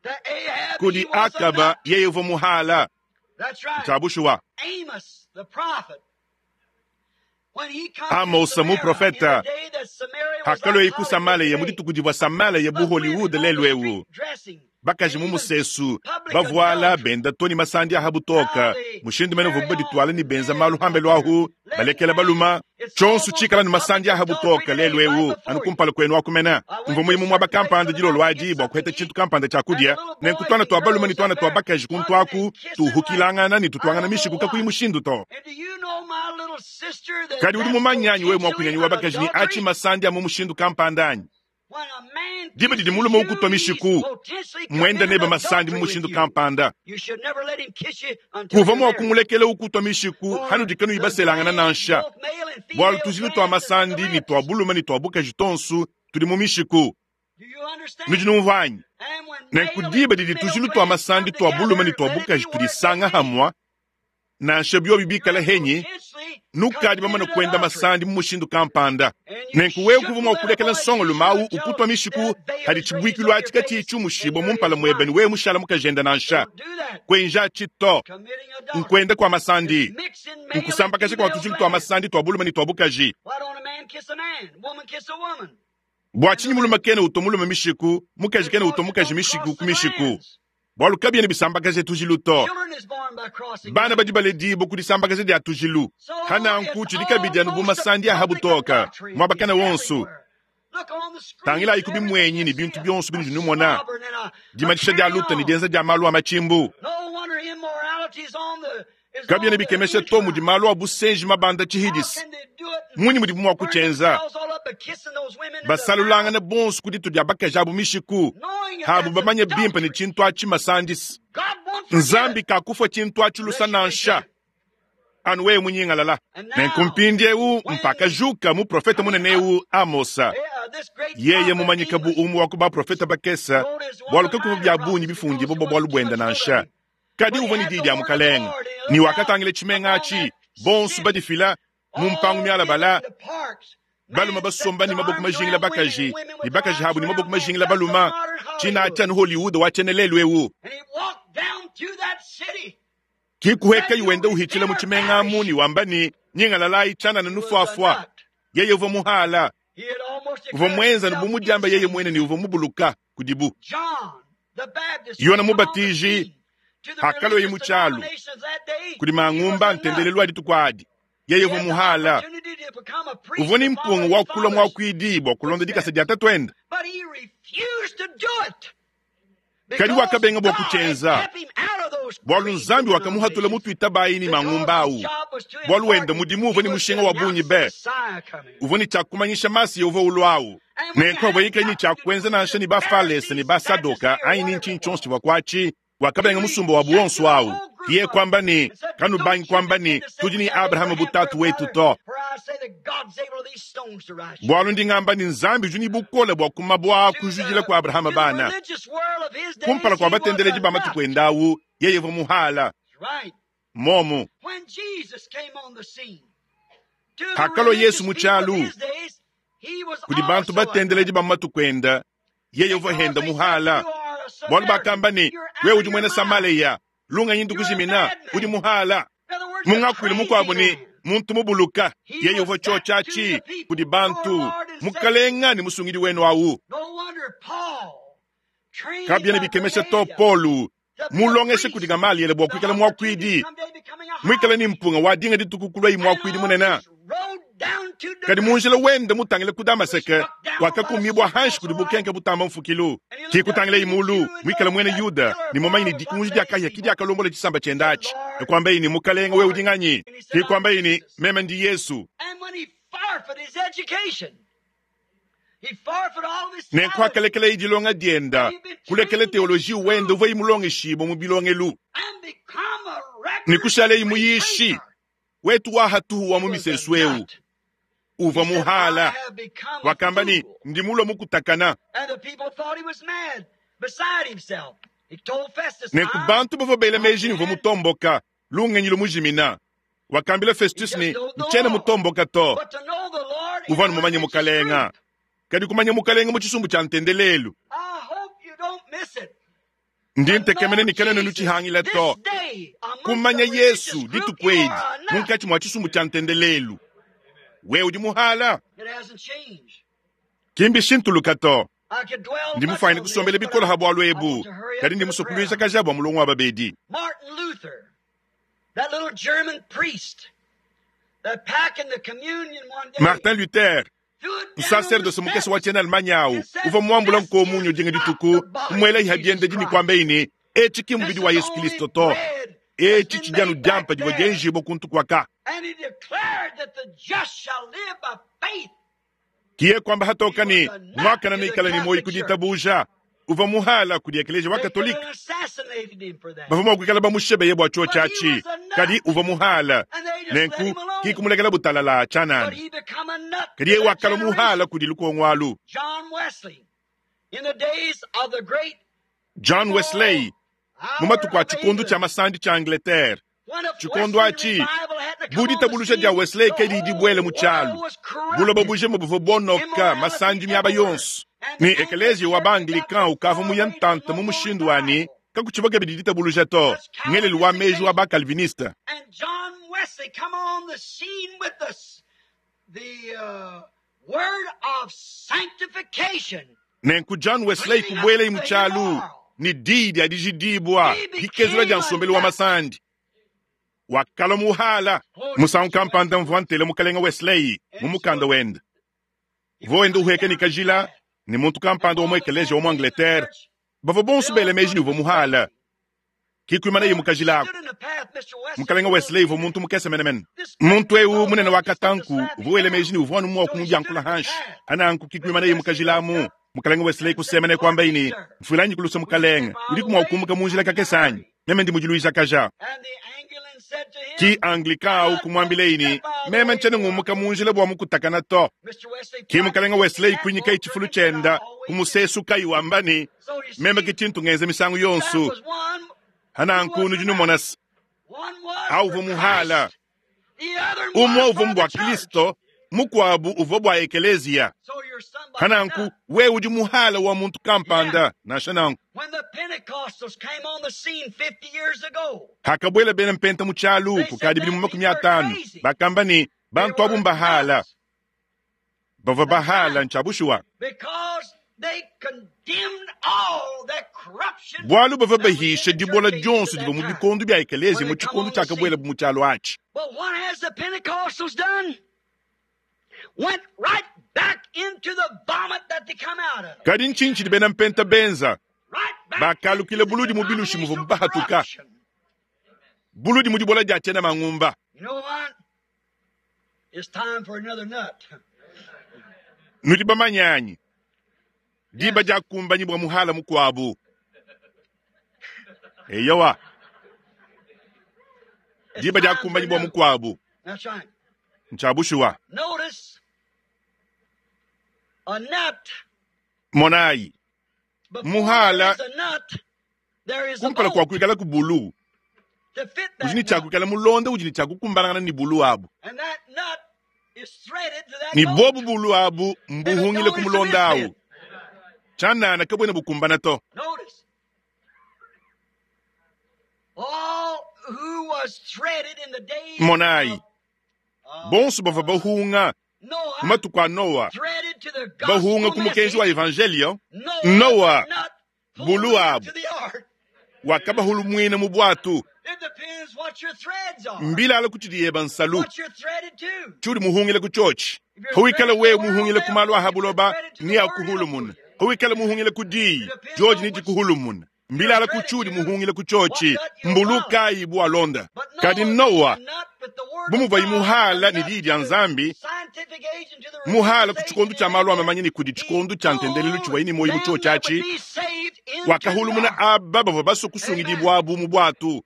kudi Akaba, yeye uvua muhala. Ntshia bushuwa. Amosa muprofeta hakalua ku Samaleya mu dituku divua Samaleya bu Hollywood lelu eu. Bakaji mu musesu bavuala benda to ne masandi aha butoka mushindu mene uvuabu badituala ne benza malu hambelu ahu balekela baluma tshionso tshikala ne masandi aha butoka lelu eu anu kumpala kwenu akumena mvua muyi mu muaba kampanda dilolo adi bua kuheta tshintu kampanda tshia kudia nenku tuana tua baluma ne tuana tua bakaji kuntu aku tuhukilangana ne tutuangana mishiku kakuyi mushindu to. Kadi udi mumanye anyi wewe muakunyanyi wa bakaji ne achi masandi a mu mushindu kampanda anyi? Diba didi mulume ukutwa mishiku mwenda nebe masandi mu mushindu kampanda. Kuva mua kumulekela ukutwa mishiku hanudikanu ibaselangana nansha. Bwalu tujilu twa masandi ni twa bulume ni twa bukaji tonsu tudi mu mishiku. Nudi numvua anyi? Nenku diba didi tujilu twa masandi twa bulume ni twa bukaji tudisanga hamwa nansha biobi bikala henyi nukadi bamana kwenda masandi mu mushindu kampanda. Nenku wewe kuva mua kulekela nsongo lumawu ukutwa mishiku hadi tshibuikilu atshi katshiyi mushibo mu mpala muebe ne wewe mushala mukajenda nansha. Kwenja tshito nkwenda kwa masandi nkusambakaja kwa tujilu twa masandi twa bulume ne twa bukaji. Bua tshinyi mulume kene utwa mulume mishiku mukaji kene utwa mukaji mishiku ku mishiku? Bwalu kabiena bisambakaje tujilu to. Bana badi baledibo kudisambakaja dia tujilu. Hananku tshidi kabidi anu bu masandi aha butoka muabakana wonso. Tangila ikubi mwenyi ni bintu bionso binudi numona. Dimatisha dia luta ni dienza dia malu a machimbu. Kabiena bikemesha to mudi malu a busenji mabanda tshihidisi. Munyi mudi mua kutshenza. Basalulangana bonso kuditu dia bakaji abu mishiku. Habu bamanye bimpe ne tshintu atshi masandisi. Nzambi kakufa tshintu atshi lusa nansha. Anu wewe munyingalala. Nenku mpindiewu mpaka juka mu profeta munene eu Amosa. Yeye mumanyika bu umwe wa ku baprofeta bakesa bwalu kakuva bya bungi bifundibo bwa bwalu bwenda nansha. Kadi uvua ne diyi dia mukalenga ni wakatangila tshimenga atshi bonso badifila mu mpangu mialabala baluma basomba ni maboko majingila bakaji ni bakaji habu ni maboko majingila baluma tshina atshi anu Hollywood wa tshiena lelu eu. Kikuheka yuwenda uhitshila mu tshimenga amu ni wamba ni nyingalalayi tshianana nufuafua. Yeye uvua muhala uvua mwenza ne bumudiamba yeye mwene ni uvua mubuluka kudibu. Yona mubatiji hakaloyi mu tshialu kudi mangumba ntendelelu adi adi. Yeye uvua muhala uvua ni mpungu wa kulwa mwakuidi bua kulonda dikasa dia tatuenda. Kadi wakabenga bua kutshenza bwalu nzambi wakamuhatula mutuitabayi ni mangumba awu. Bwalu wenda mudimu uvua ni mushinga wa bungi be uvua ni tshiakumanyisha masi uvua ulwawu. Nenku avua ni tshiakwenza nansha ni bafalesa ni basadoka anyi ni ntshinyi tshionso tshivua kuatshi. Wakabenga musumba wa buonso awu. Iye kwamba ni kanubangi kwamba ni tudi ni Abrahamu butatu wetu to. Bwalu ndingamba ni nzambi udi ni bukole bua kumabwa kujudila kwa Abrahamu bana. Kumpala kwa batendeleji ba matuku endawu yeye uvua muhala. Momu. Hakalo Yesu mu tshialu kudi bantu batendeleji ba matuku enda yeye uvua henda muhala. Bwalu bakamba ni wewe udi mwena Samaleya lunga yindu kujimina udi muhala. Mungakwile mukwabo ni muntu mubuluka yeye uvua tshotshatshi kudi bantu mukalenga ni musungidi wenu awu. Kabiena bikemesha to Polu mulongeshe kudi Gamaliele bua kuikala mwakuidi mwikala ni mpunga wa dinga dituku kulwa mwakuidi munene. Kadi munjila wenda mutangile ku Damaseke wakakumibwa hanshi kudi bukenke butamba mfukilu. Kikutangile imulu mwikala mwene Yuda ni mumanyi ni dikunji dia kahia kidi akalombola tshisamba tshienda atshi. Nikwamba ini mukalenga wewe udi nganyi? Kikwamba ini meme ndi Yesu. Nenku akalekela idilonga dienda kulekela teoloji wenda uvua imulongeshibo mu bilongelu. Nikushala imuyishi wetu wahatuhu wa mu misesu eu. Uvua muhala wakamba ni ndi mulwa mukutakana. Nenku bantu bavua bela meji ne uvua mutomboka, lungenyi lumujimina. Wakambila Festus ne, ntshiena mutomboka to. Uvua mumanye mukalenga. Kadi kumanya mukalenga mu tshisumbu tshia ntendelelu. Ndi ntekemena ne kena nutshihangila to. Kumanya Yesu dituku edi munkatshi mua tshisumbu tshia ntendelelu. We udi muhala. Kimbi shintuluka to. Ndi mufuanyine kusombela bikolo ha bwalu ebu. Kadi ndi musue kuluisha kaja bua mulongo wa babedi. Martin Luther, that little German priest that packing the communion one day. Martin Luther, msacerdoce mukese wa tshiena Allemagne awu, uvua muambula nkomunyo dinga dituku, kumwela iha biende dini kuamba ini, etshi ki mubidi wa Yesu Kristo to. Etshi tshidianu diampa divua dienjibua kuntu kuaka. And he declared that the just shall live by faith. Kiye kwamba hatoka ni mwakana mikala ni moyi kuditabuja. Uvua muhala kudi ekelesia wa Katolika. Assassinated him for that. Bavua mua kuikala bamushebeye bua chuo chachi. Kadi uvua muhala. Nenku kikumulekela butalala But chanana. he become a nut. Kadi yeye to that wakala generation. muhala kudi lukongo alu. John Wesley, in the days of the great John Wesley, mu matuku a tshikondo tshia masandi tshia Angleterre. Tshikondo achi, buditabuluja dia Wesley ke didi buele mu tshialu. Buloba bujima buvua bonoka masandi miaba yonso. Ni ekelesia wa ba-Anglican ukavua muya ntanta mu mushindu wani kakutshiba kabidi ditabuluja to. Ngelelu wa meji wa ba-Calviniste. And John Wesley come on the scene with the, the uh, word of sanctification. Nenku John Wesley kubuela mu tshialu ni didi dia dijidibua dikezula dia nsombelu wa masandi. Wakala muhala musangu kampanda mvua ntele mukalenga Wesley mu mukanda wende. Uvua wenda uheka ni kajila ni muntu kampanda wa mu ekelesia wa mu Angleterre. Bavua bonso bela meji ni uvua muhala. Kikwimana ye mukajila ako. Mukalenga Wesley uvua muntu mukese menemene. Muntu ewu munene wa katanku uvua wela meji ni uvua anu mua kumudiankula hanshi. Ananku kikwimana ye mukajila amu. Mukalenga Wesley kusemene kwamba ini mfulanyi kulusa mukalenga udi kumwa kukumbuka munjila kakesanyi. Meme ndi mudiluisha kaja. And the Anglican said to him, Ki Anglican au kumwambila ini meme ntshiena ngumuka munjila bua mukutakana to. Mister Wesley, Ki mukalenga Wesley kwinyika itshifulu tshienda kumusesu kai wamba ni meme ke tshintu ngenza misangu that yonso. was one, Hananku nudi numona se one was au for uvua muhala. Christ, the other Umwe was uvua for mbwa the church. Kristo, mukuabu uvua bua ekelesia. So you're somebody Hananku nut. we udi muhala wa muntu kampanda nansha nanku. When the Pentecostals came on the scene fifty years ago, Hakabuela bena mpenta mu tshialu kukadi bilimu makumi atanu. Bakamba ni bantu abu mbahala. nuts Bavua bahala ntshia because they condemned all that corruption Bwalu bavua that was in bahisha the dibola church age dionso at divua mu that time. bikondo bia ekelesia When mu they come tshikondo on the tshiakabuela scene. mu tshialu atshi. But what has the Pentecostals done? Went right back into the vomit that they come out of. Kadi ntshinyi tshidi bena mpenta benza? Right back Bakalukile into the buludi mu bilushi muvua denominational bahatuka. corruption. Buludi mu dibola dia tshiena mangumba. You know what? It's time for another nut. Nudi bamanyanyi. Diba dia kumbanyi bua muhala mukuabu. Eyowa, It's diba dia time for kumbanyi bua another. mukuabu. That's right. Ntshiabushuwa. Notice a nut. Monayi, Before Muhala. there is a nut, there is a kumpala kua bolt kuikala ku bulu. to fit Udi that ne tshia nut. kuikala mulonda udi ne tshia kukumbanangana ne bulu abu. And that nut is threaded to that Ni bolt. bobu bulu abu If it mbuhungile don't, ku it's a mulonda awu. misfit. Tshianana kabwena bukumbana to. Notice. All who was threaded in the days Monayi, of uh, bonso bavua bahunga mu Noah, matuku a Noa, threaded to the bahunga gospel ku mukenji wa message, evangelio, Noah, Noa, the nut pulled bulu them abu to the ark. wakabahulumwina mu bwatu. It depends what your threads are, Mbilala kutshidiyeba nsalu. what you're threaded to. Tshudi muhungile ku tshotshi. If you're Huwikala threaded to we the world, muhungile ku they'll malu pull a you. If you're habuloba threaded to ni the word, it'll pull akuhulumuna. you. Huwikala muhungile ku diyi, It depends George on ni which dikuhulumuna. you're Mbilala ku threaded tshudi to, muhungile ku what tshotshi, nut you'll follow. mbuluka ibu alonda. But Kadi Noah, Noa, a nut with the word of bumuva God, a imuhala ni nut diyi to dia the Nzambi, scientific age and to the muhala religious ku age tshikondo and tshia malu everything. amamanye ni kudi He tshikondo tshia ntendelelu pulled tshiwa ini moyi mu them tshotshi that would atshi, be saved into the wakahulumuna ark. aba bavua basue Amen. kusungidibua abu mu bwatu.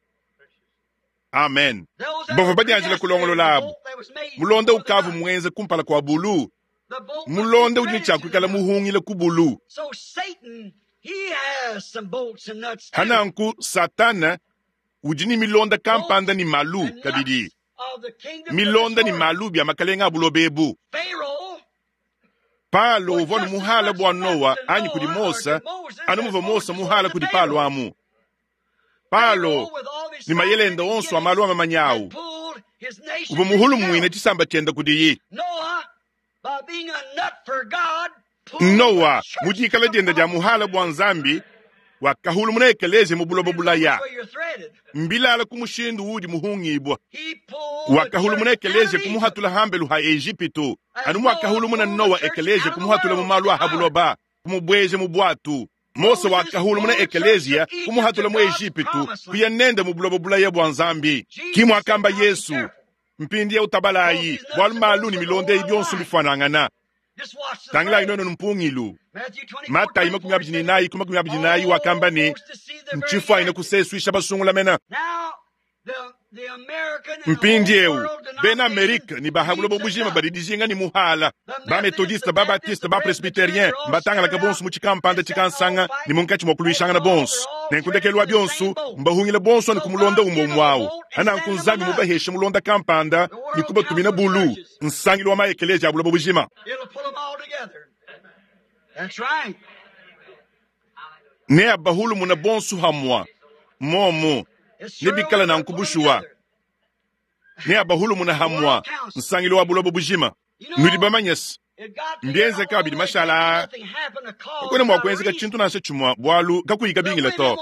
Amen. Those that Bavua were badianjila predestinated, kulongolola the abu. bolt that was made Mulonda before the ukavu nut. muenze kumpala kua bulu. The bolt must be Mulonda udi ne threaded tshia to the kuikala nut. muhungile ku bulu. So Satan Hananku Satana udi ni milonda kampanda ni malu kabidi. Milonda ni malu bya makalenga abulobebu. Palo uvua muhala bua Noa anyi kudi Mose, anu muvua Mose muhala kudi Palo amu. Palo ni mayelenda onso amalu amamanyawu. Uvua muhulu mwine tshisamba tshienda kudiyi. Noa mudikala dienda dia muhala bua Nzambi wakahulu muna ekelezi mu buloba bulaya. Mbilala ku mushindu udi muhungibwa. Wakahulu muna ekelezi kumuhatula hambelu ha Ejipitu. Anu mwakahulu muna Noa ekelezi kumuhatula mu malu a buloba, kumubweje mu bwatu. Mose wakahulu muna ekelezia kumuhatula mu Ejipitu kuya nende mu buloba bulaya bua Nzambi. Kimwakamba Yesu mpindi utabalayi bwalu malu ni milonde ibyonso bifanangana. Tangila inono mpungilu. Matayi makumi abiri ni nayi kuma makumi abiri nayi wakamba ni nchifu aina kuseswisha basungula mena. Mpindi eu bena Amerika ni bahabulo bobujima badidijinga ni muhala. Ba metodiste, ba baptiste, ba presbyterien mbatangala kabonsu mu chikampanda chikansanga ni munkachi mwakulwishanga na bonsu. Nenkundekelwa byonsu mbahungila bonsu ni kumulonda umbo mwawo. Ana nkunzambi mubahesha mulonda kampanda ni kubatumina bulu nsangilo wa maekeleja abulo bobujima. Ne abahulu muna bonsu hamwa momo nibikala na nkubushuwa. Ne abahulu muna hamwa nsangilo wa bulobo bujima. Nudi bamanyesi mbienze kabidi mashala kwene mwakwenzeka chintu nashe chumwa bwalu kakuyika bingila to.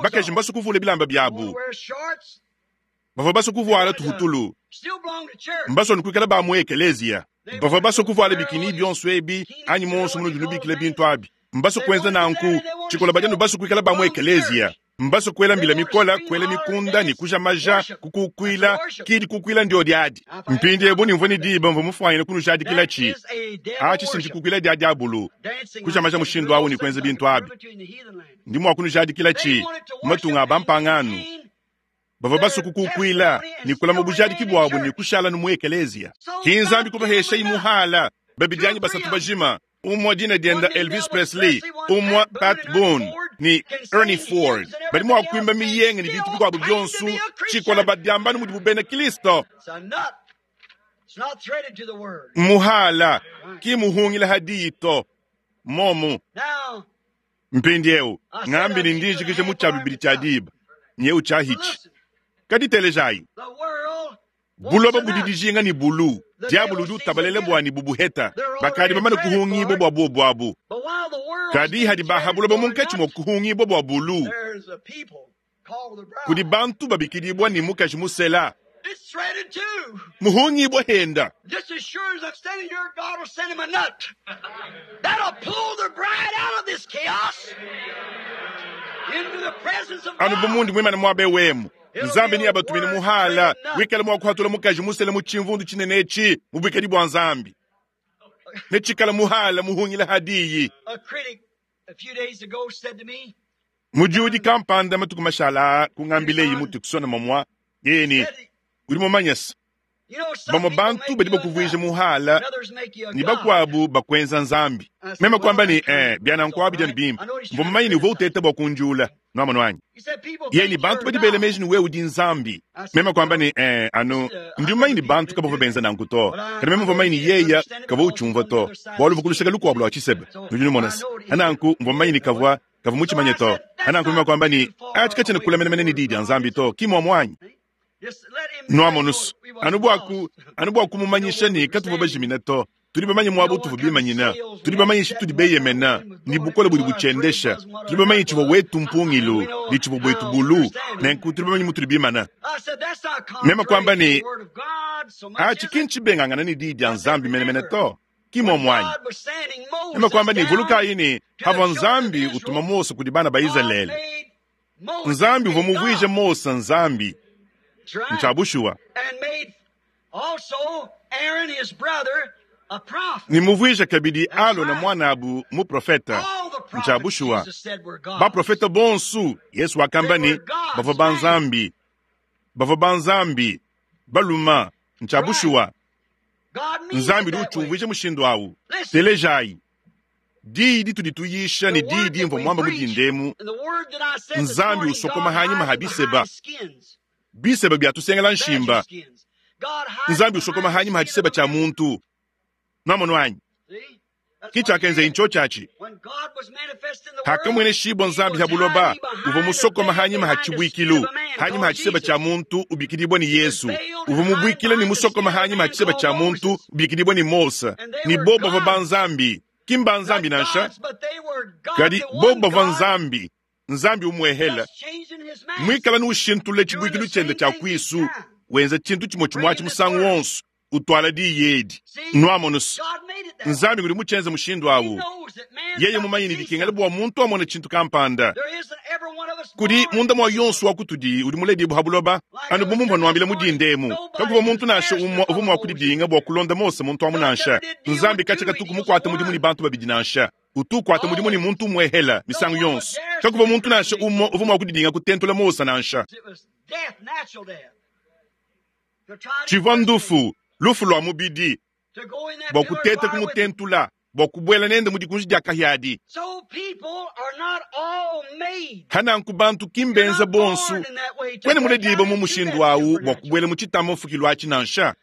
Bakaji mbasu kuvula bilamba byabu. Bava basu kuvuala tuhutulu. Mbasu nkuikala ba mu ekelezia. Bava basu kuvuala bikini byonso ebi anyi monso muno dinubikila bintu abi. Mbasu kwenza nanku chikola bajanu basu kuikala ba mu ekelezia. Mbaso kwela mbila mikola kwela mikunda ni kuja maja kukukwila kidi kukwila ndio diadi. Mpindi ebu ni mvoni diba mvu mufwanyine kunu jadi kila chi. Achi sinji kukwila dia diabulu. Kuja maja mushindo awu ni kwenze bintu abi. Ndimu wakunu jadi kila chi. Matunga bampanganu. Bava baso kukukwila ni kula mubujadi kibwabu ni kushala numu ekelezia. Kinzambi kubahesha imuhala. Babidianyi basatu bajima. Umwa dina dienda Elvis Presley, umwa Pat Boone, ni Ernie Ford. Bali mwa kuimba miyenge ni vitu bikwabu byonsu, chikola badiambanu mudi bubena Kristo. Muhala, ki muhungila hadito, momu. Mpindi eu, ngambi ni ndiji kishe muchabi bili chadiba, nyeu chahichi. Kadi telejai. Buloba budidijinga ni bulu. Diabulu du tabalele bwa ni bubuheta. Bakadi bamane kuhungi bo bwa bwabu. Kadi hadi bahabuloba munkachi mwa kuhungi bo bwa bulu. Kudi bantu babikidibwa ni mukaji musela. Muhungi bo henda. Just as sure as I'm standing here, God will send him a nut. That'll pull the bride out of this chaos into the presence of God. Anu bumundi mwimana mwabe wemu. Nzambi ni abatumini muhala wikale mwakuhatula mukaji musele muchimvundu chinenechi mubwikadi bwa Nzambi. Nechikala muhala muhungila hadiyi. A critic a few days ago said to me, Mujiudi kampanda matuku mashala kungambile yimutu kusona mamwa yeni uri mumanyasa. Bamwe bantu badi bakuvwije muhala ni bakwabu bakwenza Nzambi. Mema kwamba ni eh byana nkwabi jani bimba. Mbumanyi ni utete bakunjula. Nwama nwanyi. Yeni bantu badi bele meji ni wewe udi Nzambi. Mema kwamba ni eh ano ndiumanyi ni bantu kabo benza nankuto. Kana mema mvumanyi ni yeya kabo uchumva to. Bwalu vukulushaka lukwabula wachisebe. Nujuni monasi. Ananku mvumanyi ni kavwa kavu muchimanye to. Ananku mema kwamba ni achika chene kula mene mene ni didi Nzambi to. Kimwa mwanyi. Nwama nusu. Anubwaku anubwaku mumanyisha ni katuva bajimina to. Tuli bamanyi mwabu tuvu bimanyina. Tuli bamanyi shi tuli beyemena. Ni bukole buli buchendesha. Tuli bamanyi chivo wetu mpungilu. Ni chivo bwetu bulu. Nenku tuli bamanyi mutuli bimana. Mema kwamba ni achi kinchi bengangana ni didi ya Nzambi mene mene to. Kimwa mwanyi. Mema kwamba ni vuluka yini hava Nzambi utuma Mose kudibana ba Israeli. Nzambi uvomuvwije Mose Nzambi. Nchabushuwa. Aaron, his brother, a prophet. Nimuvwije kabidi alo na mwana abu mu profeta. Nchabushuwa. Ba profeta bonsu Yesu wakamba ni bava ba Nzambi. Bava ba Nzambi. Baluma nchabushuwa. Nzambi du chumvije mushindo awu. Telejai. Diyi ditudi tuyisha ne diyi dimvua muamba mu dindemu, Nzambi usokoma hanyima ha biseba. Biseba bya tusengela nshimba. Nzambi usokoma hanyima ha tshiseba tshia muntu. Nwamono anyi? Ki tshiakenza incho tshiatshi. Hakamwene shibwa Nzambi ha buloba, uvua musokoma hanyima ha tshibuikilu, hanyima ha tshiseba tshia muntu ubikidibwa ni Yesu. Uvua mubuikile ni musokoma hanyima ha tshiseba tshia muntu ubikidibwa ni Mose. Ni bo bavua ba Nzambi. Ki mba Nzambi nansha, kadi bo bavua Nzambi. Nzambi umwehela. Mwikala nushintule tshibuikilu tshiende tshia kwisu, wenza tshintu tshimwe tshimwe musangu wonso, utwala diyi edi. Nwamono se, Nzambi ngudi mutshienze mushindu awu. Yeye mumanyi ne dikengela bua muntu amone tshintu kampanda. Kudi munda mwa yonso wa kutudi udi muledibu ha buloba, anu bu mumvua nuambila mu dindemu. Kakuva muntu nansha umwe uvua mua kudidinga bua kulonda Mose muntu amu nansha. Nzambi katshia katuku mukuate mudimu ne bantu babidi nansha. Utu ukuata mudimu ne muntu umwehela misangu yonso. Kakuva muntu nansha umwe uvua mua kudidinga kutentula Mose nansha. Tshivua ndufu, lufu lua mubidi, bua kuteta kumutentula, bua kubuela nende mu dikunji dia kahiadi. Hananku bantu ki mbenza bonsu, kwene mulediba mu mushindu awu bua kubuela mu tshitamba mfukilu atshi nansha.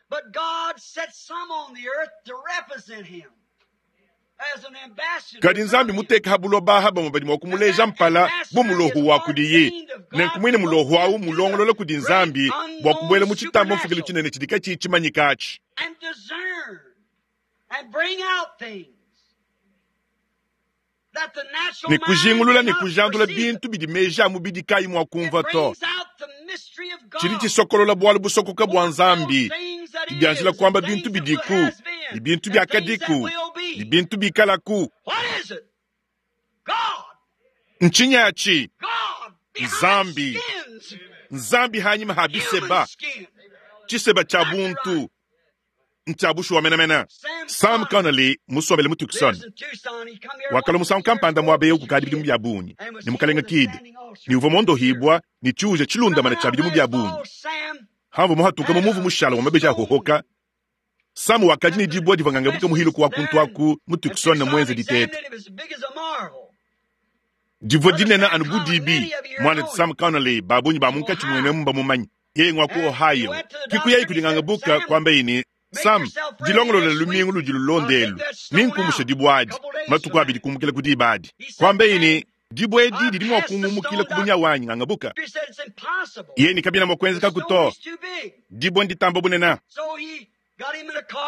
Kadi Nzambi muteka ha buloba ha bamwe badi mua kumuleja mpala bu mulohu wa kudiyi. Nenku mwine mulohu awu mulongolola kudi Nzambi bua kubuela mu tshitamba mfukilu tshinene tshidi katshiyi tshimanyika atshi. Ne kujingulula ne kujandula bintu bidi meji a mubidi kayi mua kumva to. Tshidi tshisokolola bualu busokoka bua Nzambi, didianjila kuamba bintu bidiku, ne bintu biakadiku, ne bintu bikalaku. Ntshinyi atshi? Nzambi. Nzambi hanyima ha biseba. Tshiseba tshia buntu. Ntshia bushuwa menamena. Sam Connolly musombele mu Tucson. Wakala musangu kampanda muaba eu kukadi bidimu bia bungi ne mukalenga Kid. Ne uvua mondohibwa ne tshiuja tshilundamana tshia bidimu bia bungi. Hamvu muhatuka mu muvu mushala wa mabeji ahohoka. Sam wakadi ne dibwa divua ngangabuka muhiluku wa kuntu aku mu Tucson na mwenze ditete. Divua dinene anu bu dibi. Mwana Sam Connolly babunyi ba munkatshi mwene mumba mumanyi. Yeye ngwa ku Ohio. Kikuyayi kudi ngangabuka kwamba ini Sam, dilongolola lumingu ludi lulondelu, ninkumusha dibwa adi, matuku abidi kumukila ku diba adi. Kwamba ini, dibwa edi didi mua kungumukila ku bunya wanyi ngangabuka. Yeye ni kabina mua kuenzeka kuto. Dibwa nditamba bunena.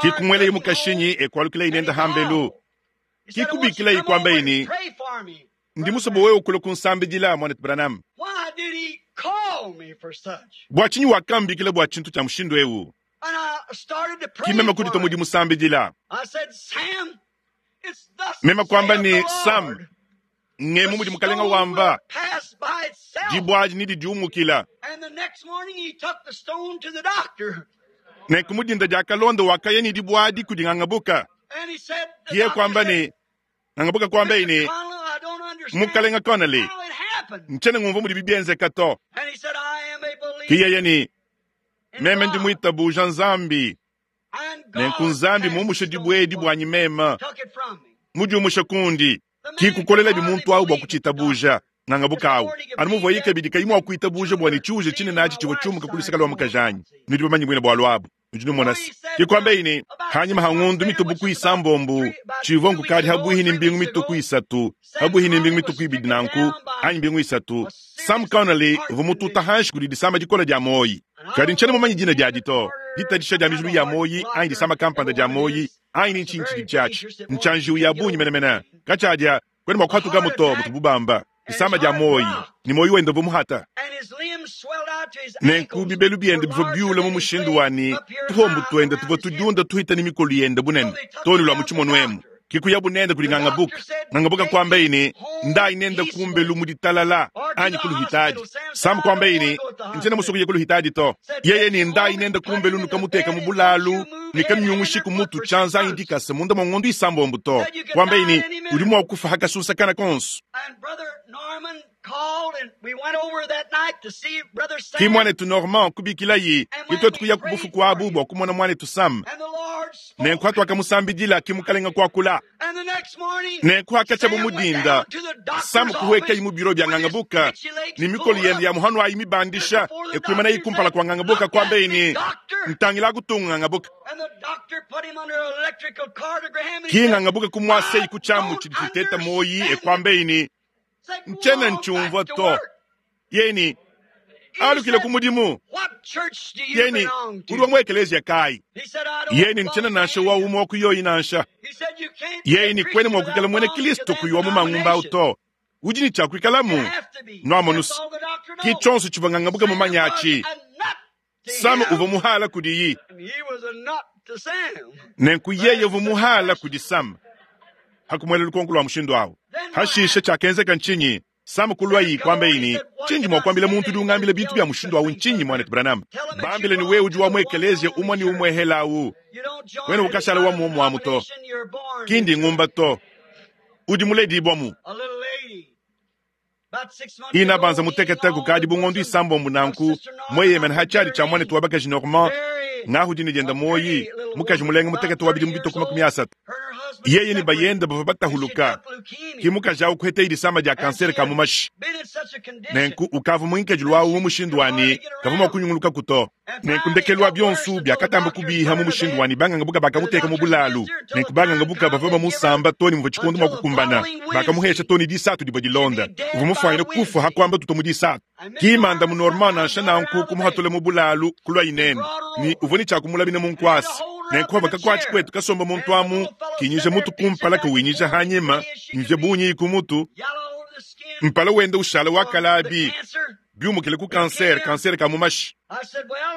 Kikumwele mukashinyi ekwalukila inenda hambelu. Kikubikila ikwamba ini, ndi musobo wewe ukula kunsambidila mwana Branham. Bua tshinyi wakambikila bua tshintu tshia mushindu ewu? Kimema kudita mudi musambidila. Mema kwamba ni Sam, ngemu mudi mukalenga wamba, dibwa adi ni didiumukila. Nenku mudinda dia kalonda wakaya ni dibwa adi kudi ngangabuka. Kiye kwamba ni, ngangabuka kwamba ini, mukalenga Connolly, nchene ngumvu mudi bibienzeka to. Kiye ni, meme ndi mwitabuja Nzambi. Nenku Nzambi mumushe dibwa edi bwanyi mema. Mudiumushe kundi. Kikukolela bi muntu awu bua kuchitabuja. Ngangabuka awu. Anu muvua yike bidi kayi mua kuitabuja bua ne tshiuje tshinene atshi tshivua tshiumuka ku luseke lua mukajanyi. Nudi bamanyi bwine bualu abu. Nudi numona se. Kikwamba ini, hanyima ha ngundu mitubuku isambombu, tshivua nkukadi habuihi ni mbingu mituku isatu, habuihi ni mbingu mituku ibidi nanku, anyi mbingu isatu. Sam Connolly uvua mututa hanshi kudi disama dikola dia moyi. Kadi ntshiena mumanyi dina diadi to. Ditadisha dia mijulu ya moyi, anyi disama kampanda dia moyi, anyi ni ntshinyi tshidi tshiatshi. Ntshanjiwu ya bungi menemene. Katshiadia, kwene mua kuhatuka muto, mutu bubamba. Disama dia moyi, ni moyi wenda uvua muhata. Nenku bibelu biende bivua biula mu mushindu wani, tuhombu tuende tuvua tudiunda tuhita ni mikolu yende bunene. Toni lua mu tshimono emu. Kikuya bunende kudi ngangabuka. Ngangabuka kwamba ini, ndayi nenda kumbelu mu ditalala, anyi kuluhitadi. Sam kwamba ini, ntshiena musuku ye kuluhitadi to. Yeye ni ndayi nenda kumbelu nukamuteka mu bulalu, nikamyungushiku mutu tshianza anyi dikasa munda mua ngondu isambombo to. Kwamba ini, udi mua kufa hakasusa kana konso. Ki mwanetu Norman kubikilayi, kitwetu kuya kubufu kwabu bua kumona mwanetu Sam. Nenku hatuakamusambidila ki mukalenga kuakula. Nenku hakacha mudinda Sam kuhweka mu biro bya ngangabuka ni mikolo yende ya muhanu ayi mibandisha ekwimana ikumpala kwa ngangabuka kwa beni ntangila kutunga ngangabuka ki ngangabuka kumwase ikuchamu chiditeta moyi ekwambeini nchena nchumva to yeni alukile kumudimu yeni uri wa ekelezia kai yeni nchena nansha wa umo kuyoyi nansha yeni kwene mwakwikala mwene Kristo kuywa mu mangumba uto udi ni chakwikalamu nwamonusu ki chonso chivangangabuka mu manyachi Sam uva muhala kudiyi nenku yeye uva muhala kudi Sam hakumwela lukonko lwa mushindu awo hashisha chakenzeka nchinyi Sam kulwayi kwamba ini chinji mwakwambila muntu udi ungambila bintu bya mushindu awu nchinyi mwana Branham bambile ni wewe udi wa mwekelezia umwe ni umwe helawu wene ukashala wa muomu to kindi ngumba to udi muledi ibwamu ina banza mutekete kukadi bungondo isambo munanku mweyemena hachali cha mwana tuwabakaji Normand ngahu dini jenda moyi mukaji mulenga mutekete wabidi mubito kuma makumi asatu yeye ni bayenda bava batahuluka ki mukaji awu kuhete ilisama dia kanseri ka mumashi nenku ukava mwinkeji lwawu mumushindu wani kava mwakunyunguluka kuto nenku ndekelu byonsu byakatamba kubiha mumushindu wani banganga buka bakamuteka mu bulalu nenku banganga buka bava bamusamba toni muva chikondo mwakukumbana bakamuhesha toni disatu dibwa dilonda uva mufwanyile kufa hakwamba tuto mu disatu kimanda mu Normand nansha nanku kumuhatule mu bulalu kulwa inene ni uvoni chakumulabina munkwasi nenkuva kakwachi kwetu kasomba muntu amu kinyija mutu kumpala kawinyija hanyima mvye bunyi kumutu mpala wenda ushala wakalabi byumukile ku kanser kanser ka mumashi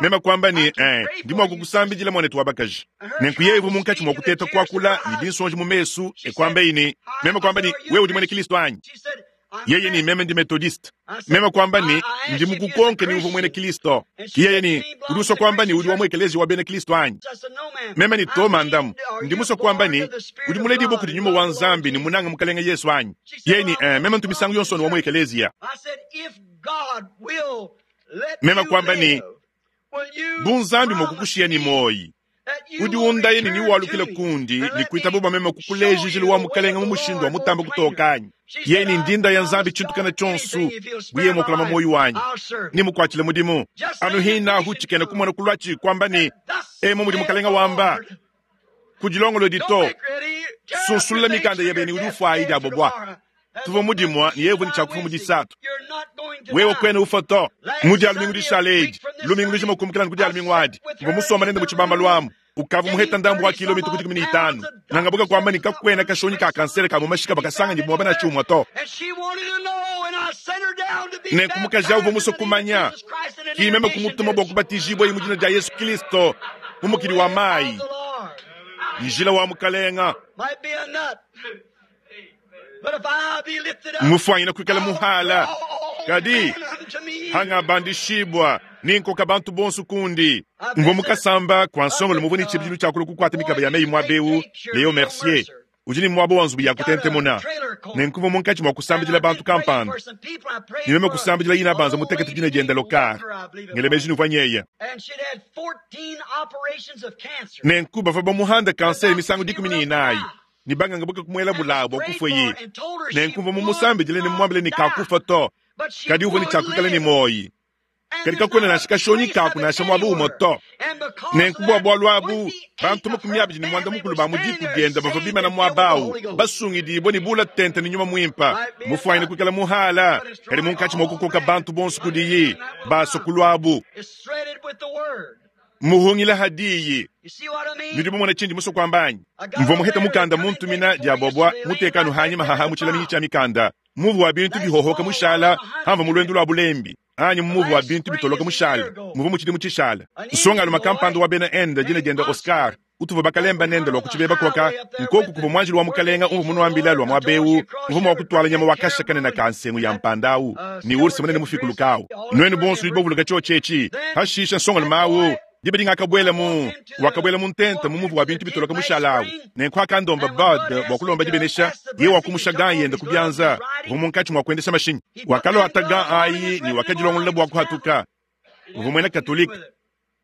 mema kwamba ni eh ndimo kukusambijila mwana wabakaji nenku yevu munkachi mwakuteta kwakula ni dinsonji mumesu ekwamba ini mema kwamba ni wewe udi mwene Kristo anyi yeye ni meme ndi methodist mema kwamba ni ndi mukukonke ni uvu mwene Kristo yeye ni uduso kwamba ni udi wa mwekelezi wa bene Kristo anyi meme ni toma ndamu ndi muso kwamba ni udi muledi boku di nyuma wa nzambi ni munanga mukalenga Yesu anyi yeye ni eh, meme ntumisangu yonso ni wa mwekelezi ya mema kwamba ni bunzambi mokukushiya ni moyi udi undaye ni niwalukile kundi ni kuita buba meme kukulejijile wa mukalenga mu mushindu wa mutamba kutokanyi yeni ndinda ya nzambi chintukana chonsu buye mokulama moyo wanyi ni mukwachile mudimu anu hina huchikene kumona kulwachi kwamba ni emo mudi mukalenga wamba kujilongolo dito sunsulula mikanda yebeni udi ufwayi dyabobwa tuva mudimwa ni yevu ni chakufa mudisatu wewe kwene ufoto mudi alumingu dishaleji lumingu lujima kumukilani kudi alumingu adi mva musoma nende muchibamba lwamu ukava muheta ndambu wa kilomita kuti kumi itanu nangabuka kwamba nikakwena kashonyi ka kansere ka mumashika bakasanga ndimwa bana chumwa to nenku mukaji uva muso kumanya kimeme kumutuma bwa kubatizibwa mu jina lya Yesu Kristo mumukili wa mayi njila wa mukalenga mufwanyina kwikala muhala kadi hanga bandishibwa ninkoka bantu bonso kundi mvo mukasamba kwa nsongolo muvuni chibijilu chakulu kukwata mikaba ya meyi mwabewu Leo Mercier ujini mwabo wanzubu ya kutentemuna nenkuva munkachi mwakusambijila bantu kampanda nimeme kusambijila yina banza mutekete jina jenda lokar ngelemeji nuvanyeye nenku bava bamuhanda kanseri misango dikumi ni inayi ni banganga buka kumwela bulabo kufwe nenkumva mumusambijile ni mwambile ni kakufa to kadi uvo ni chakwikala ni moyi kadi kakwena nasha kashonyi kaku nasha mwaba umo to nenkubwa bwalu abu bantu makumi abidi ni mwanda mukulu ba mudiku dienda bava bimana mwabawu basungidibwa ni bula tente ni nyuma mwimpa mufwanyine kwikala muhala kadi munkachi mwakukoka bantu bonso kudiyi baso kulwabu muhungila hadiyi nudi mumona chindi muso kwambanyi mvo muheta mukanda muntumina dyabobwa mutekanu hanyima haha muchilaminyi cha mikanda muvu wa bintu bihohoka mushala hamva mulwendu lwa bulembi anyi muvu wa bintu bitoloka mushala muvu muchidi muchishala nsonga makampanda wa bena enda jina jenda Oscar utuva bakalemba nende lwa kuchibeba koka nkoku kuva mwanjili wa mukalenga umvu munuambila lwa mwabewu mvumo wa kutwala nyama wakashakane na kansengu ya mpandawu ni ursi munene mufikulukawu nwenu bonso nudi bovuluka chochechi hashisha nsonga lumawu dibe dingakabwela mu wakabwela mu ntenta mu muvu wa bintu bitoloka mushalawu nenku akandomba bad bwa kulomba dibenesha ye wakumusha gan yenda kubyanza vumu nkatshi mwa kuendesha mashinyi wakalo ata gan ayi ni wakajilongolola bwa kuhatuka uvu mwena katolika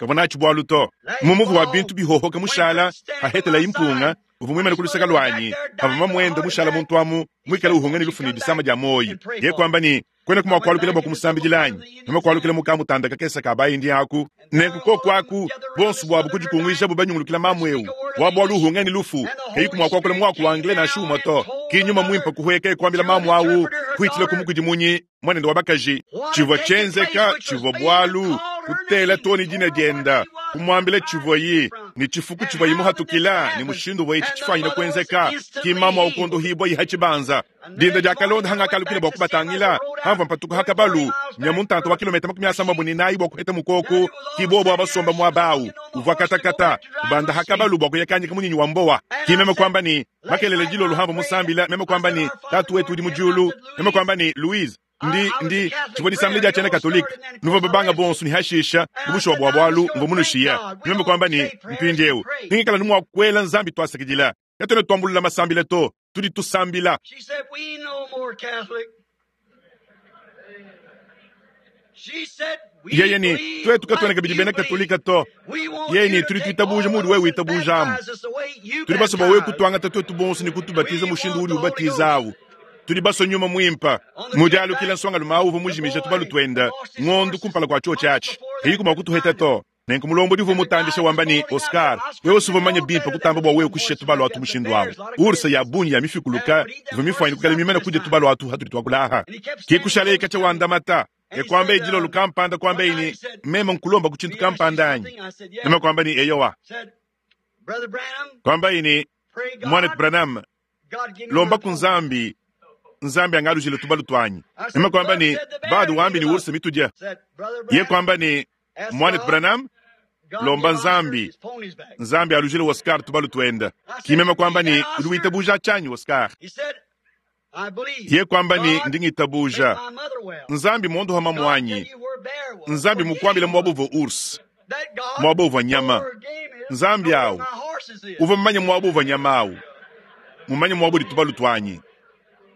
Kavua natshi bualu to. Mu muvu wa bintu bihohoka mushala, hahetela impunga, uvua muimane ku luseke luanyi, pavua mamuende mushala muntu amu, muikale uhunga ne lufu ne disama dia moyi. Ye kuamba ne, kwena kumwa kualukila bua kumusambidila anyi? Meme kualukila mukamutanda kakese ka bayindi aku. Nenku koku aku, bonso buabu kudikunguijabu banyungulukila mamu eu. Wa bualu uhunga ne lufu, keyi kumwa kuakula muaku wa anglais nansha umue to. Ki nyuma muimpe kuhueka kuambila mamu awu, kuitila kumukudimunyi, mwanende wa bakaji. Tshivua tshienzeka, tshivua bualu, kutela to ne dina dienda, kumwambila tshivuayi, ne tshifuku tshivuayi muhatukila, ne mushindu uvuayi tshifanyine kuenzeka, ki mamu awu kondohibwa yiha tshibanza. Dinda dia kalonda hangakalukile bua kubatangila, hamvua mpatuka hakabalu, nya muntanta wa kilomita makumi asambambo ne nayi bua kuheta mukoku, ki bobo abasomba muaba awu, uvua katakata, kubanda hakabalu bua kuyakanyika munyinyi wa mbowa. Ki meme kuamba ne, makelele dilolo hamvua musambila, meme kuamba ne, tatu wetu udi mu diulu, meme kuamba ne, Louise, ndi ndi tshivua disambila dia tshiena katolika nuvua babanga bonso ne hashisha mubushuwa bua bualu mvua munushiya. Meme kuamba ne, mpindieu ningikala numua kuela nzambi twasakidila, katuena tuambulula masambila to, tudi tusambila. She said, we no more Catholic. She said, we Yeye ni believe twetu katuena like kabidi you bena believe. katolika to. We want Yeye ni you to tudi take tuitabuja all mudi of wewe us and uitabujamu. baptize us the way you Tudi basoma wewe baptize. kutuangata twetu bonso ne kutubatiza mushindu udi ubatizawu. Tudi baso nyuma muimpa mudialukila nsonga lumawu uvua mujimija tubalu twenda ng'ondu kumpala kua chio tshiatshi eyi kuma kutuheta to. Nenku mulombo divu mutandisha wamba ni Oscar, wewe usuvua manya bimpe kutamba bua wewe kushisha tubalu atu mushindu awu. Ursa ya bunyi ya mifikuluka ivua mifwanyine kukala mimene kudia tubalu atu hatudi twakulaha. Ki kushala ikacha wandamata ekwamba ejilo lukampanda kwamba ini meme nkulomba ku tshintu kampanda anyi. Meme kwamba ni eyowa. Said, Brother Branham, Kwamba ini pray God, mwana Branham God give me lomba my ku nzambi nzambi angalujile tubalu twanyi. Meme kwamba ni badu wambi ni ursa mitudya. Said, Brother Ye Branham, kwamba ni ask mwana God, Branham God lomba give Oscar nzambi. his ponies back. Nzambi alujile Oscar tubalu twenda. Kimema kwamba ni uli chanyi Oscar. He said, I believe. Ye kwamba ni God ndingitabuja. make my mother well. Nzambi mondu hama God tell mwanyi. you where bear was. Nzambi Where mukwambila game was. mwabuvo urs. That God Mwabuvo nyama. know where game is, Nzambi know where awu. my horses is. Uva mmanya mwabuvo nyama awu. Mumanya mwabuli tubalu twanyi.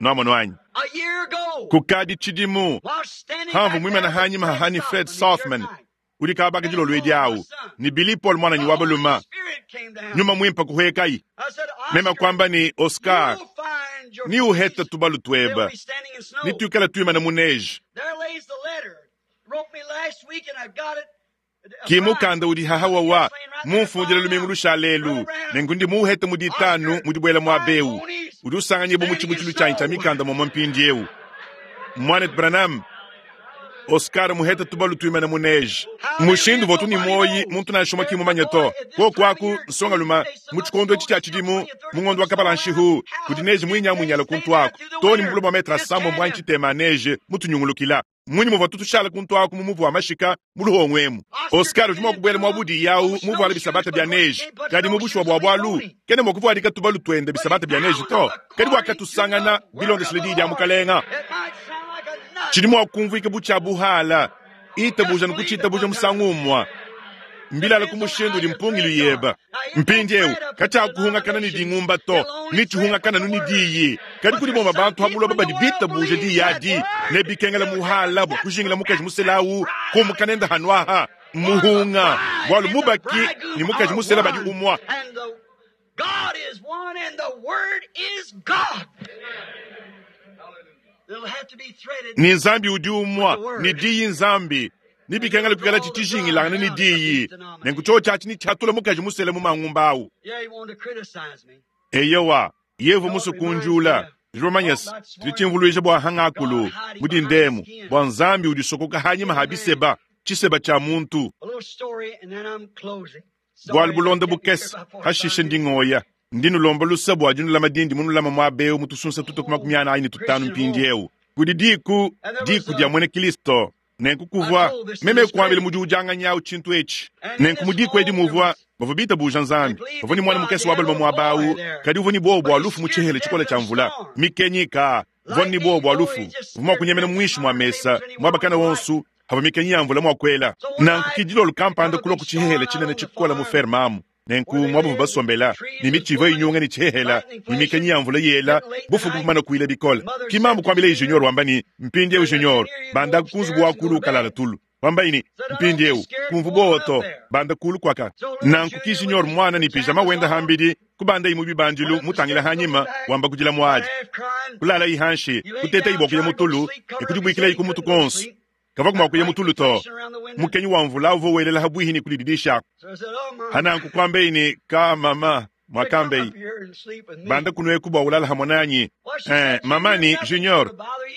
Nwamo nwanyi. A year ago, Kukadi chidimu. while standing Hamvu back mwimana there with hanyima Fred hahani Fred Sothman Sothman. the other night, Uli kabaka jilo lwedi awu. Ni Billy Paul mwana the nyi Holy wabaluma. Spirit came down. Nyuma mwimpa kuhwekai. I said, Mema Oscar, kwamba ni Oscar. you'll find your Ni uheta ponies. tubalu They'll tweba. be standing in snow. Ni tuikala tuimana muneji. There lays the letter. Wrote me last week and I've got it. Kimukanda udi hahawa wa mumfundile lumingu lushalelu nenku ndi muuhete mudi itanu mudibwela mwa beu udi usanganyibwa mu tshibutshilu tshanyi tshia mikanda momwe mpindiewu. Mwanet Branham Oscar muhete tubalu tuimana muneji mushindu votu ni moyi muntu nansha umwe kimumanya to kokwaku nsonga luma mu tshikondo etshi tshia tshidimu mungondo wa kapala nshihu kudi neji mwinyamunyala kuntu aku toni mubulu bua metre asambo mbwanyi tshitema neje mutunyungulukila mwinyi muva tutushala kuntu aku mumuvu wa mashika muluhongo emu. Oscar udi mua kubwela mwa budi yawu muvuala bisabata bia neji kadi mubushuwa bua bualu kene mua kuvuadika tubalu twende bisabata bia neji to kadi bwakatusangana bilondeshele diyi dia mukalenga. It might sound like a nut. Tshidi mua kumvuika butshia buhala itabuja nikuchitabuja musangumwa mbilala kumushindu udi mpungilu yeba mpindiewu katshakuhungakana ni dingumba to nitshihungakana nu ni diyi kadi kudi boma bantu habuloba badi bitabuja diyi adi ne bikengela muhala bua kujingila mukaji muselawu kumukanenda hanwaha muhunga bualu mubaki ni mukaji musela badi umwa. And the God is one and the Word is God. It'll have to be threaded. Ni nzambi udi umwa ni diyi nzambi ni bikengela kukala tshitshijingilangana ni diyi nenku tsho tshatshi ni tshatula mukaji musela mu mangumba awu. Yeah, he wanted to criticize me. Eyowa yevu musukunjula zvomanyasi tili bua hangakulu mudi ndemu bua nzambi udisokoka hanyima ha biseba tshiseba tshia muntu. A little story and then I'm closing. Bualu Sorry, bulonda I kept you here bukese about forty-five hashishe minutes. ndingoya ndinulomba lusa bua dinulama dindi munulama muabewu mutusunsa tuto ku makumi anayi ne tutanu mpindiewu kudi diku diku dia mwene Kristo nenku kuvua meme kuambila mudi ujanganyawu tshintu etshi nenku mudiku edi muvua bavua bitabuja nzambi bavua ni mwana mukese wa baluma muabawu kadi uvua ni bobo bua lufu mu tshihela tshikola tshia mvula mikenyika uvua ni bobo bua lufu uvua mua kunyemena muinshi mua mesa muabakana wonsu hava mikenyi ya mvula mua kuela nanku kidilolo kampanda kulua ku tshihela tshinene tshikola mu fermamu nenku mwabuvu basombela ni michiva inyunga ni tshihela ni mikenyi ya mvula yela bufuku bumana kuila bikola kimambu kuambila ijunior wamba ni mpindiewu junior banda kunzubu wa kulu ukalala tulu Kwambayi ne, mpindieu kumvu buowa to, banda kulu kwaka. Nanku ki Junior mwana ne pijama wenda hambidi, kubandayi mu bibandilu mutangila hanyima, wamba kudila muadi. Kulalayi hanshi, kutetayi bua kuya mutulu, ne kudibuikilayi ku mutu konso. Kava kuma kuya mutulu to. Mukenyi wa mvula uvua welela habwihi ne kudididisha. Hananku kwambayi ne, ka mama, mwakambeyi. Banda kunweku bua ulala hamwe nanyi. Eh, mama ni Junior,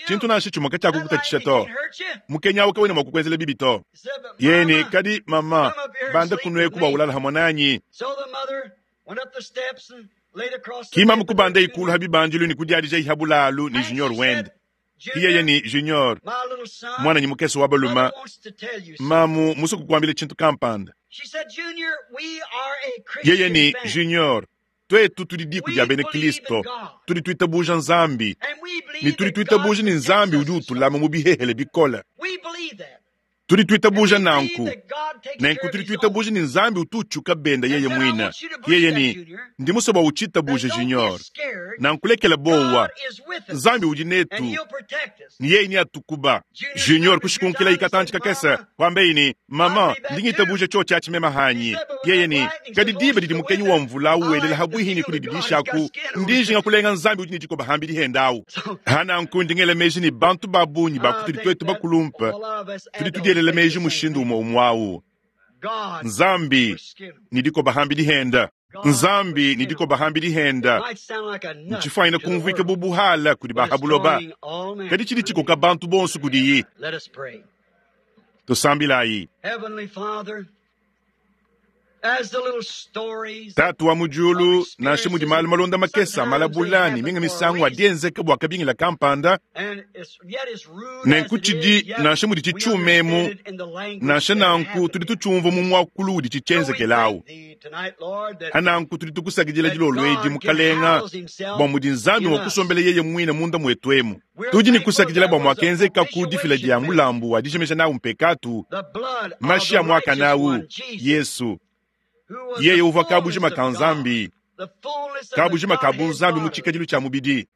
tshintu nansha tshimwe kacakukutatshisha to. Mukenyi awu kawena mua kukwenzela bibi to. Yeni kadi mama, banda kunweku bua ulala hamwe nanyi. Kimamu kubanda ikulu habibandilu ni kudiadija ihabulalu ni Junior wende. Iyeye ni Junior, mwana ni mukese wa baluma, mamu musuku kuambile tshintu kampanda. Yeye ni Junior, twetu tudi diku dia bena Kristo, tudi tuitabuja Nzambi, ne tudi tuitabuja ni Nzambi udi utulama mu bihehele bikole. Tudi tuitabuja nanku, nenku tudi tuitabuja ni Nzambi utu utshuka benda yeye mwina. Yeye ni ndi musoba uchitabuja Junior, nankulekela bowa Nzambi udi netu, ni yeye ni atukuba. Junior kushikunkila ikatanchi kakesa, kwambeyi ni mama ndingitabuja cho chachimema hanyi. Yeye ni kadi diba didi mukenyi wa mvula uwelela habwihi ni kudididishaku, ndijinga kulenga Nzambi udi ni dikoba hambi dihendawu. Hananku ndingela meji ni bantu babunyi bakutudi twetu bakulumpa, tudi tudielela meji mushindu umwe umwawu. Nzambi ni dikoba hambi dihenda. Nzambi ni dikoba hambi dihenda. Ntshifuanyina kumvuika bubuhala kudi bahabuloba. Kadi tshidi tshikoka bantu bonso kudiyi. Tusambilayi. Tatu wa mudiulu, nansha mudi malu malonda makesa malabulani minga misangu adienzeka bua kabingila kampanda, nenku tshidi nansha mudi tshitshiumemu, nansha nanku tudi tutshumva mu muakulu udi tshitshienzekelawu. Hananku tudi tukusakidila dilolo edi mukalenga bua mudi Nzambi mua kusombela yeye muine munda muetu emu. Tudi ne kusakidila bua muakenzeka ku difila dia mulambu wa dijimija nawu mpekatu, mashi a muakanawu Yesu. Yeye uvua kabujima ka Nzambi, kabujima ka bunzambi mu tshikadilu tshia mubidi.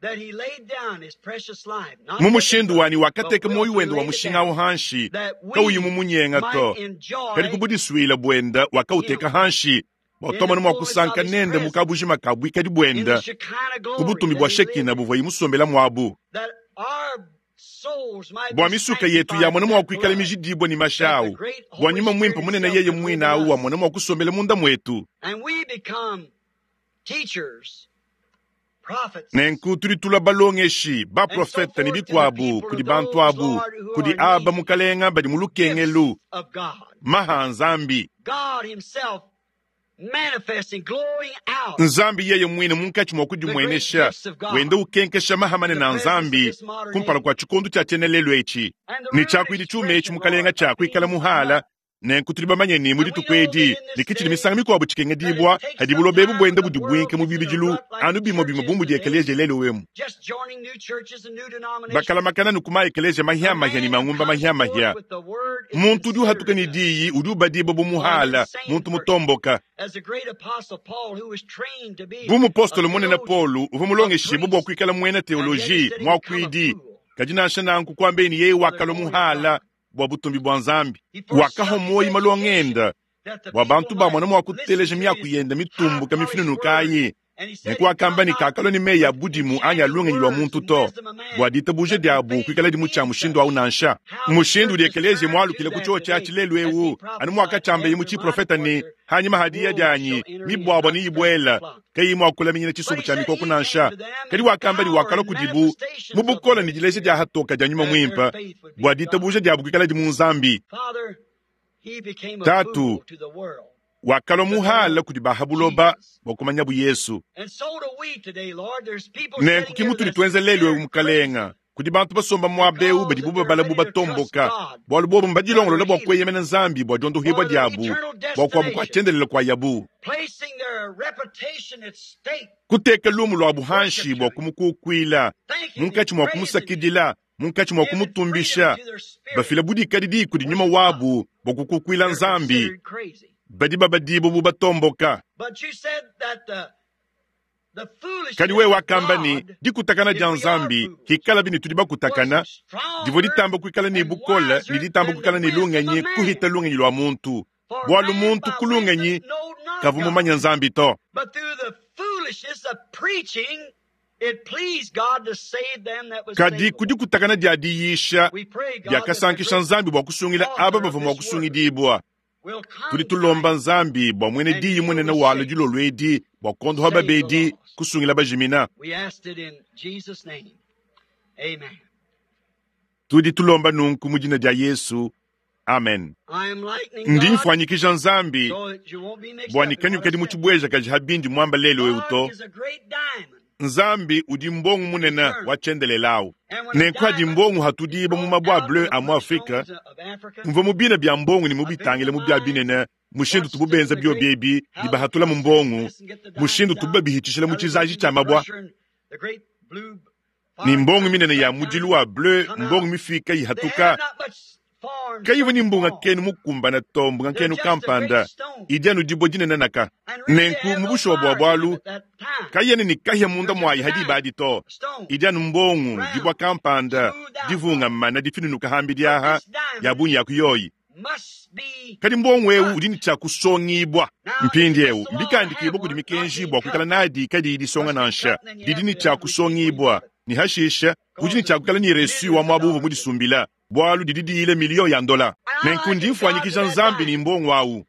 Mu mushindu wani wakateka moyo wende wa mushinga awu hanshi, kauyi mu munyenga to, kadi kubudisuila buenda wakauteka hanshi, bua tomana mua kusanka nende mu kabujima ka buikadi buenda, ku butumbi bua Shekina buvua imusombela muabu. Bua misuka yetu yamona mua kuikala mijidibwa ni mashawu, bua nyuma mwimpe munene yeye mwina awu wamona mua kusombela munda mwetu. Nenku tudi tulua balongeshi, baprofeta ne bikuabu kudi bantu abu, kudi aba mukalenga badi mu lukengelu, maha Nzambi. Nzambi yeye mwine munkatshi mua kudimuenesha, wenda ukenkesha mahamane na Nzambi kumpala kua tshikondu tshia tshienelelo etshi. Ne tshiakuidi tshiume etshi mukalenga tshia kuikala muhala, nenku tudi bamanye ne mu dituku edi ne kitshidi misangu mikuabu tshikengedibua hadi buloba ebu buenda budi buinke mu bibidilu anu bimue bimue bu mudi ekeleziya lelu emu. Bakalamakana ne kuma ekeleziya mahiamahia ne mangumba mahiamahia. Muntu udi uhatuka ne diyi udi ubadibua bu muhala, muntu mutomboka. Bu mupostolo munene Paulo uvua mulongeshibue bua kuikala muena teoloji muakuidi, kadi nansha nanku kuambeni yeye wakalua muhala bua butumbi bua Nzambi. Wakaha moyi malongenda bua bantu bamona mua kuteleja miaku yenda mitumbuka mifinunukayi. Nenku wakamba ne kakalua ne meyi a budimu anyi a lungenyi lua muntu to, bua ditabuja diabu kuikala dimu tshia mushindu awu nansha. Mushindu udi ekeleziya mualukile ku tshio tshiatshi lelu ewu, anu muakatshiambaye mu tshiprofeta ne, hanyima hadiya dianyi mibuabua ne ibuela kayi mua kulaminyina tshisumbu tshia mikoko nansha. Kadi wakamba ne wakalua kudibu mu bukole ne dileja dia hatoka dia nyuma muimpe, bua ditabuja diabu kuikala di mu Nzambi. Tatu wakalua muhala kudi bahabuloba bua kumanyabu Yesu. Nenku ki mutudi tuenza lelu ewu mukalenga, kudi bantu basomba muaba ewu badi bubabala bu batomboka, bualu bobu mbadilongolola bua kueyemena Nzambi bua diondohibua diabu, bua kuabu kua tshiendelele kua yabu. Kuteka lumu lua buhanshi bua kumukukuila, munkatshi mua kumusakidila, munkatshi mua kumutumbisha, bafila budikadidi kudi nyuma wabu bua kukukuila Nzambi, badi babadibu bu batomboka. Kadi wewe wakamba ne dikutakana dia Nzambi hikalabi ne tudi bakutakana, divua ditamba kuikala ne bukole ne ditamba kuikala ne lungenyi kuhita lungenyi lua muntu. Bualu muntu ku lungenyi kavua mumanye Nzambi to. Kadi ku dikutakana dia diyisha diakasankisha Nzambi bua kusungila aba bavua mua kusungidibua. Tudi tulomba Nzambi bua mwene diyi munene walo dilolo edi bua kondoha babedi kusungila bajimina. Tudi tulomba nunku mu dina dia Yesu. Amen. Ndi mfuanyikija Nzambi bua nikanyukadi mu tshibwejakaji ha bindi mwamba lelo eu to. Nzambi udi mbongo munene wa tshiendelelawu. Nenku hadi mbongo hatudiba mu mabwa bleu a mu Afrika, mvua mu bina bya mbongo ne mu bitangile mu bya binene, mushindu tububenza bio biebi ne bahatula mu mbongo, mushindu tubabihitshishila mu tshizaji tshia mabwa. Ni mbongo minene ya mudilu wa bleu, mbongo mifika ihatuka. Kayivua ni mbunga kenu mukumbana to, mbunga kenu kampanda idi anu dibua dinene naka. Nenku mu bushuwa bua bualu kayene ni kahia munda muayi hadi badi to. Idi anu mbongo dibua kampanda divunga mana difinunuka hambi diaha ya bunyi ya kuyoyi. Kadi mbongo eu udi ni tshia kusongibwa. Mpindi eu mbikandikibwa kudi mikenji bua kuikala nadi kadi disonga nansha. Didi ni tshia kusongibwa ni hashisha udi ni tshia kuikala ni resu wa mwabu uvu mudisumbila. Bualu didi diile milio ya ndola. Nenku ndi mfuanyikija Nzambi ni mbongo awu.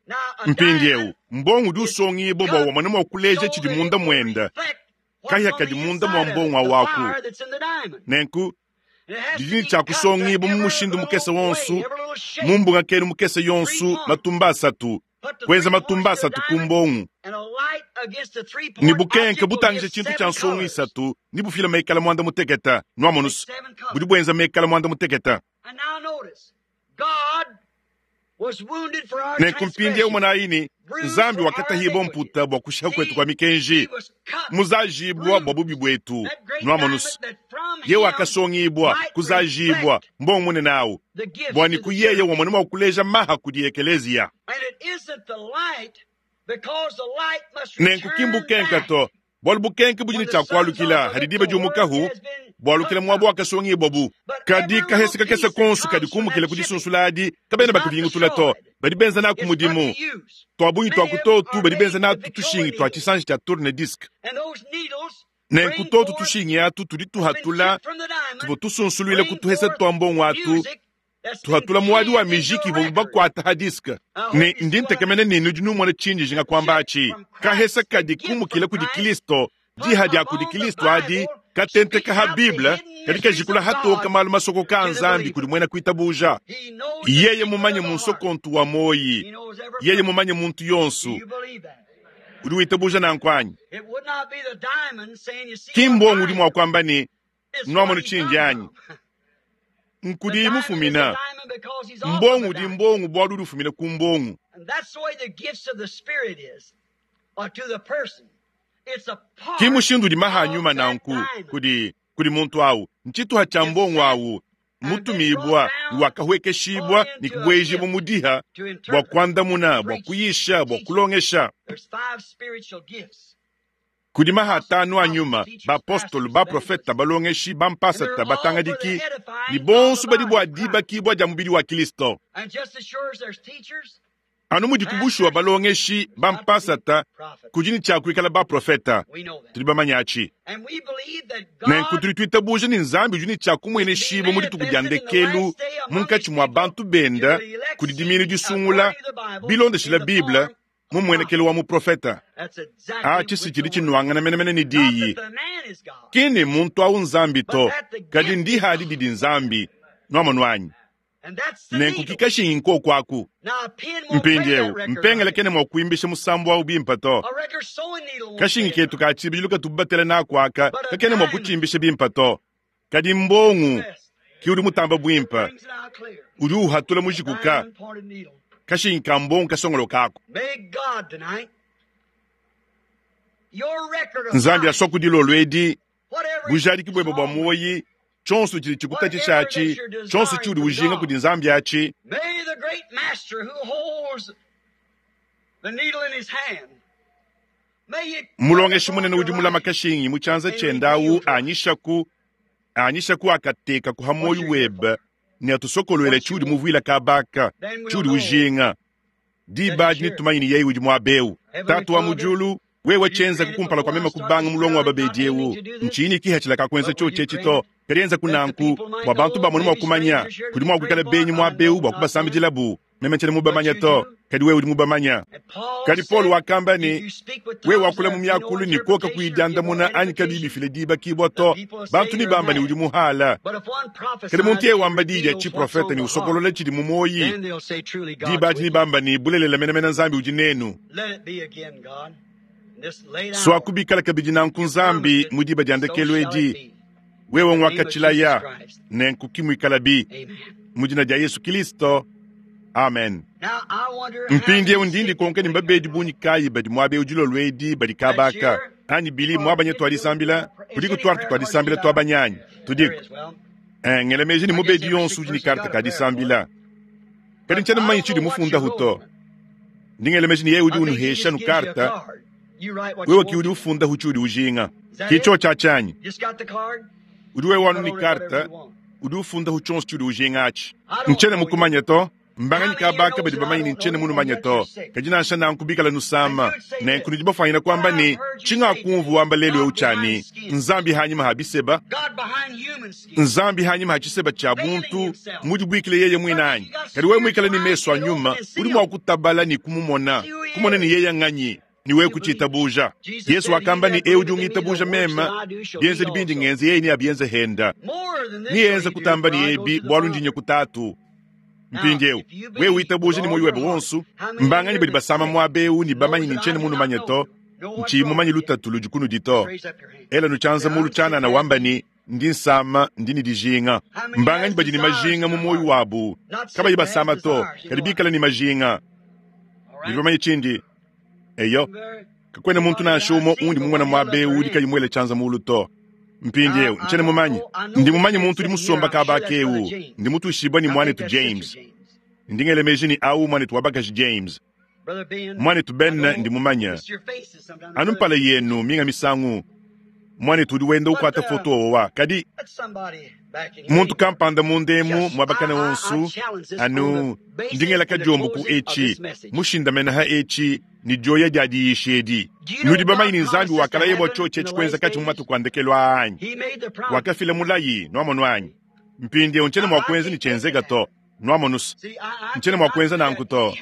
Mpindi eu mbongo udi usongibwa bua wamone mua kuleja tshidi munda mwenda. Kahia kadi munda mua mbongo awu aku. Nenku didi ni tshia kusongibwa mu mushindu mukese wonsu, mu mbunga kenu mukese yonsu matumba asatu, kuenza matumba asatu ku mbongo. Ni bukenke butangisha tshintu tshia nsongo isatu, ni bufila mekala mwanda muteketa, nwamonusu. Budi buenza mekala mwanda muteketa. Nenku mpindi umona ini, Nzambi wakatahibwa mputa bua kushiha kwetu kwa mikenji, muzajibwa bua bubi bwetu, nwamonusu. Ye wakasongibwa, kuzajibwa, mbongo munene awu. Bua ni kuyeye wamone mua kuleja maha kudi ekelezia. Nenku kimbukenka to, bualu bukenke budi ne tshia kualukila hadi diba diumukahu, bualukila muabu wakasongibwa bu. Kadi kahese kakese konsu kadi kumukila kudi sunsuladi adi, kabena bakuvingutula to, badi benza naku mudimu. Twabunyi twakutotu badi benza natu tushingi twa tshisanji tshia tourne disque. Nenku totu tushingi atu tudi tuhatula, tuvua tusunsulwile kutuhesa twa mbongo atu, tuhatula muadi wa mijiki ivua bakuata ha disque. Ne ndi ntekemene nenu udi numona tshinji jinga kwamba atshi. Kahesa kadi kumukila kudi Kristo, diha dia kudi Kristo adi, katenteka ha Bible, kadi kajikula hatoka malu masoko ka Nzambi kudi mwena kuitabuja. Yeye mumanye munsokontu wa moyi, yeye mumanye muntu yonsu. Udi witabuja nankwanyi. Kimbongo udi mua kwamba ni nwamono tshinji anyi. Nkudi mufumina. Mbongo udi mbongo bualu udi ufumina ku mbongo. Ki mushindu udi maha nyuma nanku kudi kudi muntu awu. Ntshituha tshia mbongo awu mutumibwa wakahwekeshibwa ni kubwejibwa mudiha bua kuandamuna bua kuyisha bua kulongesha. Kudi maha atanu a nyuma, bapostolo, baprofeta, balongeshi, bampasata, batangadiki, ni bonso badi bua dibakibwa dia mubidi wa Kristo. Anu mudi kubushuwa balongeshi, bampasata, kudi ni tshia kuikala baprofeta. Tudi bamanya atshi. Nenku tudi tuitabuja ni Nzambi udi ni tshia kumueneshibwa mu dituku dia ndekelu munkatshi mua bantu benda kudi diminu disungula bilondeshila Bible mu muenekelo wa muprofeta. Atshi si tshidi tshinuangana menemene ni diyi. Kini muntu awu Nzambi to, kadi ndihadi didi Nzambi, nwamonu anyi. Nenku kikashingi nkoku aku. Mpindi eu, mpengele kene mua kuimbisha musambu awu bimpa to. Kashingi ketu ka tshibidilu katubatela naku aka, kakene mua kutshimbisha bimpa to. Kadi mbongo ki udi mutamba bwimpa, udi uhatula mujikuka. Kashingi ka mbongo kasongolo kako. Nzambi aswa dilolo edi, bujadiki bwebe bua moyi, tshonso tshidi tshikutatshisha atshi, tshonso tshiudi ujinga kudi Nzambi atshi. May the great master who holds the needle in his hand Mulongeshi munene udi mulama kashingi mu tshianza tshiende awu anyishaku anyishaku akateka kuha moyo webe ne atusokoluele tshiudi muvuila kabaka tshiudi ujinga diba dini tumanyi ni yeye udi muabewu tatu wa mujulu wewe tshienza kukumpala kwa mema kubanga mulongo wa babedi ewu nchini kihatshila kakwenza cho tshetschi to kadienza kunanku bua bantu bamone mua kumanya kudi mua kuikala benyi muabewu bua kubasambidilabu meme ntshiena mubamanya to kadi wewe udi mubamanya kadi Paul wakamba ne wewe wakula mu miakulu ni koka kuidiandamuna anyi kabi bifile diba kibwa to bantu ni bamba ni udi muhala kadi muntu yeye wamba diyi dia tshiprofete ni usokolola tshidi mu moyi diba adi ni bamba ni bulelela menemene nzambi udi nenu swakubikala kabidi nanku nzambi mu diba dia ndekelu edi wewe ngwakatshilaya nenku kimuikalabi mu dina dia Yesu Kristo. Amen. Mpindieu ndindi konke ni mbabedi bunyi kayi badi muabe udilo edi badi kabaka anyi bili mwabanye twalisambila kuliko twartu twalisambila twabanyanyi tudiko eh ngelemeji ni mubedi yonsu udi ni karta kadisambila kadi nchana mmanyi chidi mufunda huto ndingelemeji ni yeye udi unuhesha nu karta wewe ki udi ufunda huchi udi ujinga kicho cha chanyi udi wewe wanu ni karta udi ufunda huchonso chudi ujinga achi nchene mukumanya to mbanganyi kabaka badi bamanyi ni nchene munu manya to kadi nansha nankubikala nusama nenku nudi bafanyina kwamba ni tshingakumvu wamba lelu eu tshani nzambi hanyima ha biseba nzambi hanyima ha tshiseba tshia buntu mudi buikile yeye mwinanyi kadi wewe mwikala ni meso a nyuma udi mua kutabala ni kumumona kumona ni yeye nganyi niwe kuchitabuja Yesu wakamba ni eu ungitabuja mema bienze bindi ngenze yeye ni abienze henda niyenze kutamba ni ebi bwalu ndinye kutatu mpindieu wewe witabuja ni moyo webe wonsu mbanganyi badi basama mwabeu ni bamanyi ni nchene munu manye to nchi mumanyi lutatu ludi kunu dito ela nuchanza mulu chanana wamba ni ndi nsama ndi ni dijinga mbanganyi badi ni majinga mu moyo wabu kabayi basama to kadi bikala ni majinga bidi bamanyi chindi eyo kakwena muntu nansha umo undi mumwana mwabeu udi kayi mwele chanza mulu to mpindieu nchene mumanyi ndi mumanyi muntu udi musomba kabaka ewu ndi mutushibwa ni mwanetu James ndingelemeji ni au mwanetu wabakaji James mwanetu Ben ndi mumanya anu mpala yenu minga misangu mwanetu udi wenda ukwata foto owa kadi muntu kampanda mundemu mwabakana wonsu anu ndingela kajombo ku echi mushindamena ha echi ni joya dia diyishi edi nudi bamanyi ni nzambi wakalaye bwa cho chechi kwenza kachi mu matuku andekelo anyi wakafila mulayi nwamonu anyi mpindieu nchene mwakwenza ni chenzeka to nwamonusa nchene mwakwenza nanku to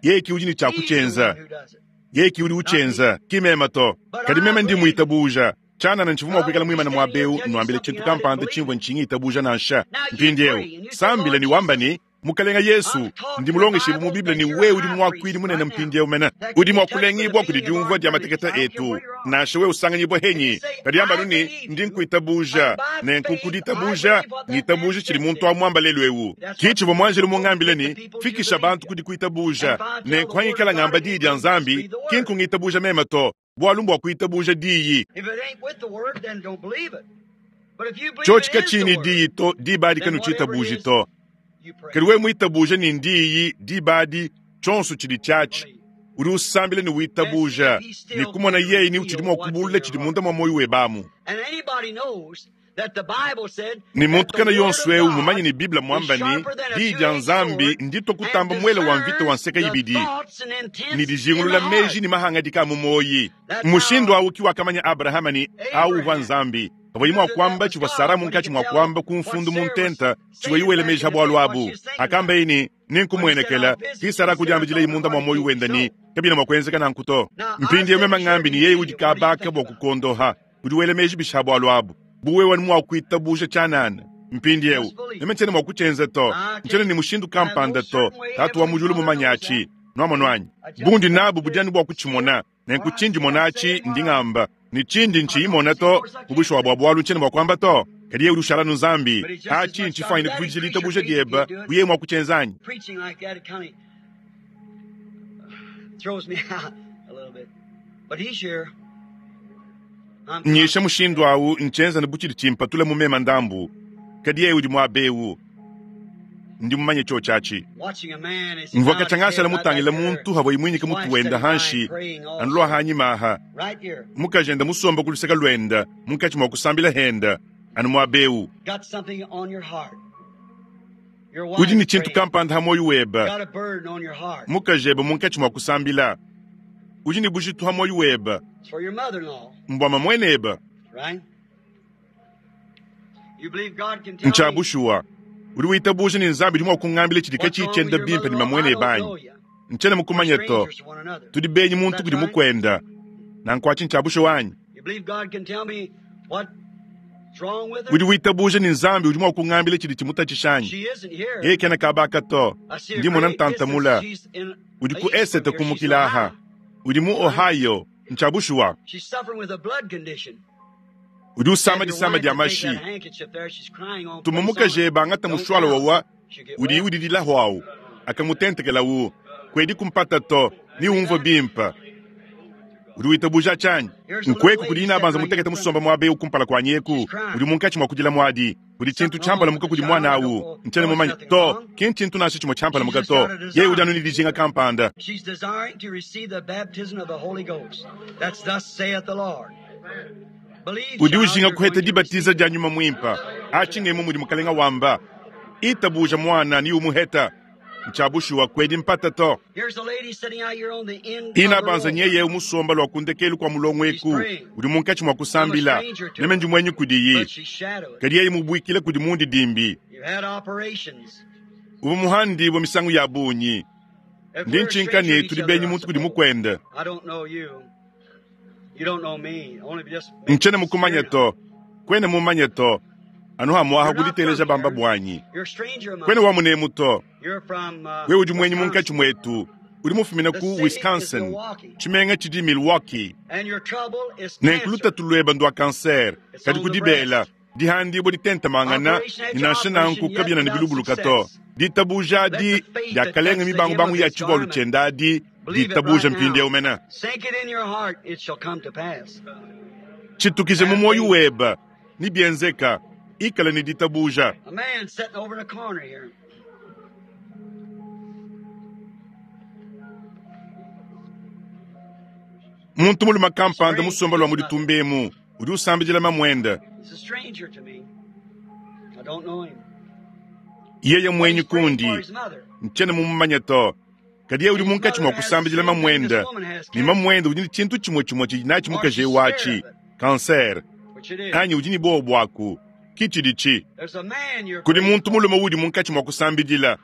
yeye ki udi ni chakuchenza yeye ki udi uchenza kimema to kadi meme ndi muitabuja chanana nchivu mwakuikala mwimana mwabeu nwambile chintu kampanda chimvwe nchingi itabuja nansha mpindieu sambile ni wamba ni mukalenga Yesu ndi mulongeshebu mu Biblia ni wewe udi mwakwili munene mpindieu mena udi mwakulengibwa kudi diumvua dia mateketa etu nansha wewe usanganyibwa henyi kadi amba nuni ndi nkuitabuja nenku kuditabuja ngitabuja chili muntu amwamba lelu ewu kichivwa mwanjelu mungambile ni fikisha bantu kudi kuitabuja nenku hangikala ngamba diyi dia nzambi kinku ngitabuja mema to bwalu mbwa kuitabuja diyi chochi kachini diyi to dibadi kanu chitabuji to kadi we mwitabuja ni ndiyi dibadi chonso chili chachi udi usambile ni witabuja ni kumona yeye ni uchidi mwakubulula chidi munda mwa moyo webamu ni muntu kana yonso eu mumanyi ni biblia mwamba ni diyi dia nzambi ndito kutamba mwele wa mvita wa nseka ibidi ni dijingulula meji ni mahanga dika mu moyi mushindu awu ki wakamanya abrahama ni awu wa nzambi pavua mwakwamba chivua sara munkatshi mwakwamba kumfundu muntenta chivua iwele meji ha bwalu abu akamba ini ninkumwenekela ki sara kudiambidila imunda mwa moyo wenda ni kabina mwakwenzeka nanku to mpindieu mema ngambi ni yeye udi kabaka bwa kukondoha udi wele meji bishi ha bwalu abu buwewa ni mwakuitabuja chanana mpindieu meme nchene mwakuchenza to nchene ni mushindu kampanda to tatu wa mujulu mumanyachi nwamonwanyi bundi nabu budiani bwa kuchimona nenku chindi monachi nding'amba ni chindi nchiimona to kubushwa bwa bwalu nchene bwakwamba to kadi ye udi ushala nu nzambi achi nchifanyine kuvujila itabuja dieba buye mwakuchenzanyi nyisha mushindu awu nchenza ni buchili chimpatula mumema ndambu kadi ye udi mwabewu Ndi mumanye tshotshatshi. Mvua katshia mutangila muntu havua imwinyika mutu wenda hanshi anulwa hanyima aha. Mukajenda musomba kuluseka lwenda munkatshi mwa kusambila henda anu mwabeu. Udi ni tshintu kampanda ha moyo weba. Mukajeba munkatshi mwa kusambila. Udi ni bujitu ha moyo weba. Mbwama mweneba. Nchabushuwa. Udi witabuja ni nzambi udi mwa kungambila tshidika tshitshienda bimpe ni mamwene banyi. Nchena mukumanya to. Tudi benyi muntu kudi mukwenda. Na nkwachi nchabushuwa wanyi. Udi witabuja ni nzambi udi mwa kungambila tshidi tshimutatshishanyi. Yeye kena kabaka to. Ndi mona ntantamula. Udi ku esete kumukilaha. Udi mu Ohio. Nchabushuwa. Udi usama disama dia mashi. Tumumukaje bangata mushwala wawa udi udi dilahwawu akamutentekela wu kwedi kumpata to ni umvo bimpa. Udi witabuja chanyi nkweku kudi ina banza mutekete musomba mwabe ukumpala kwa nyeku udi munkatshi mwa kudila mwadi udi tshintu tshampala muka kudi mwana awu nchene mumanya to ki nchintu nasho chimwe tshampala muka to ye udi anu ni dijinga kampanda. She's desiring to receive the baptism of the Holy Ghost. That's thus saith the Lord. Udi ujinga kuheta dibatiza dia nyuma mwimpa achingemo mudi mukalenga wamba itabuja mwana ni umuheta nchabushuwa kwedi mpata to. Ina banza nyeye umusomba lwa kundekelu kwa mulongweku udi munkatshi mwa kusambila neme ndi mwenyu kudiyi kadi yeye mubwikile kudi mundi dimbi ubu muhandi bwa misangu ya bunyi ndi nchinkani tudi benyi muntu kudi mukwenda. Nchene mukumanya to kwene mumanye to anu hamwaha kuditeleja bamba bwanyi kwene wamunemu to we udi mwenyi munkatshi mwetu udi mufumina ku Wisconsin tshimenga tshidi Milwaukee nenkulutatu lweba ndwa kanser kadi kudibela dihandibwa ditentamangana ninansha nanku kabyena ni bilubuluka to ditabuja adi diakalenga mibangubangu ya tshivalu tshienda adi ditabuja mpindieu mena. Tshitukije mu moyo weba ni bienzeka ikala ni ditabuja. Muntu muluma kampanda musomba lwa muditumbemu udi usambijila mamwenda. Yeye mwenyi kundi nchene mumumanya to kadi ye udi munkatshi mwa kusambijila mamwenda ni mamwenda udi ni tshintu tshimwe tshimwe tshidi natshi mukaje watshi kanser anyi udi ni bobo bwaku kichidichi kudi muntu mulume udi munkatshi mwa kusambidila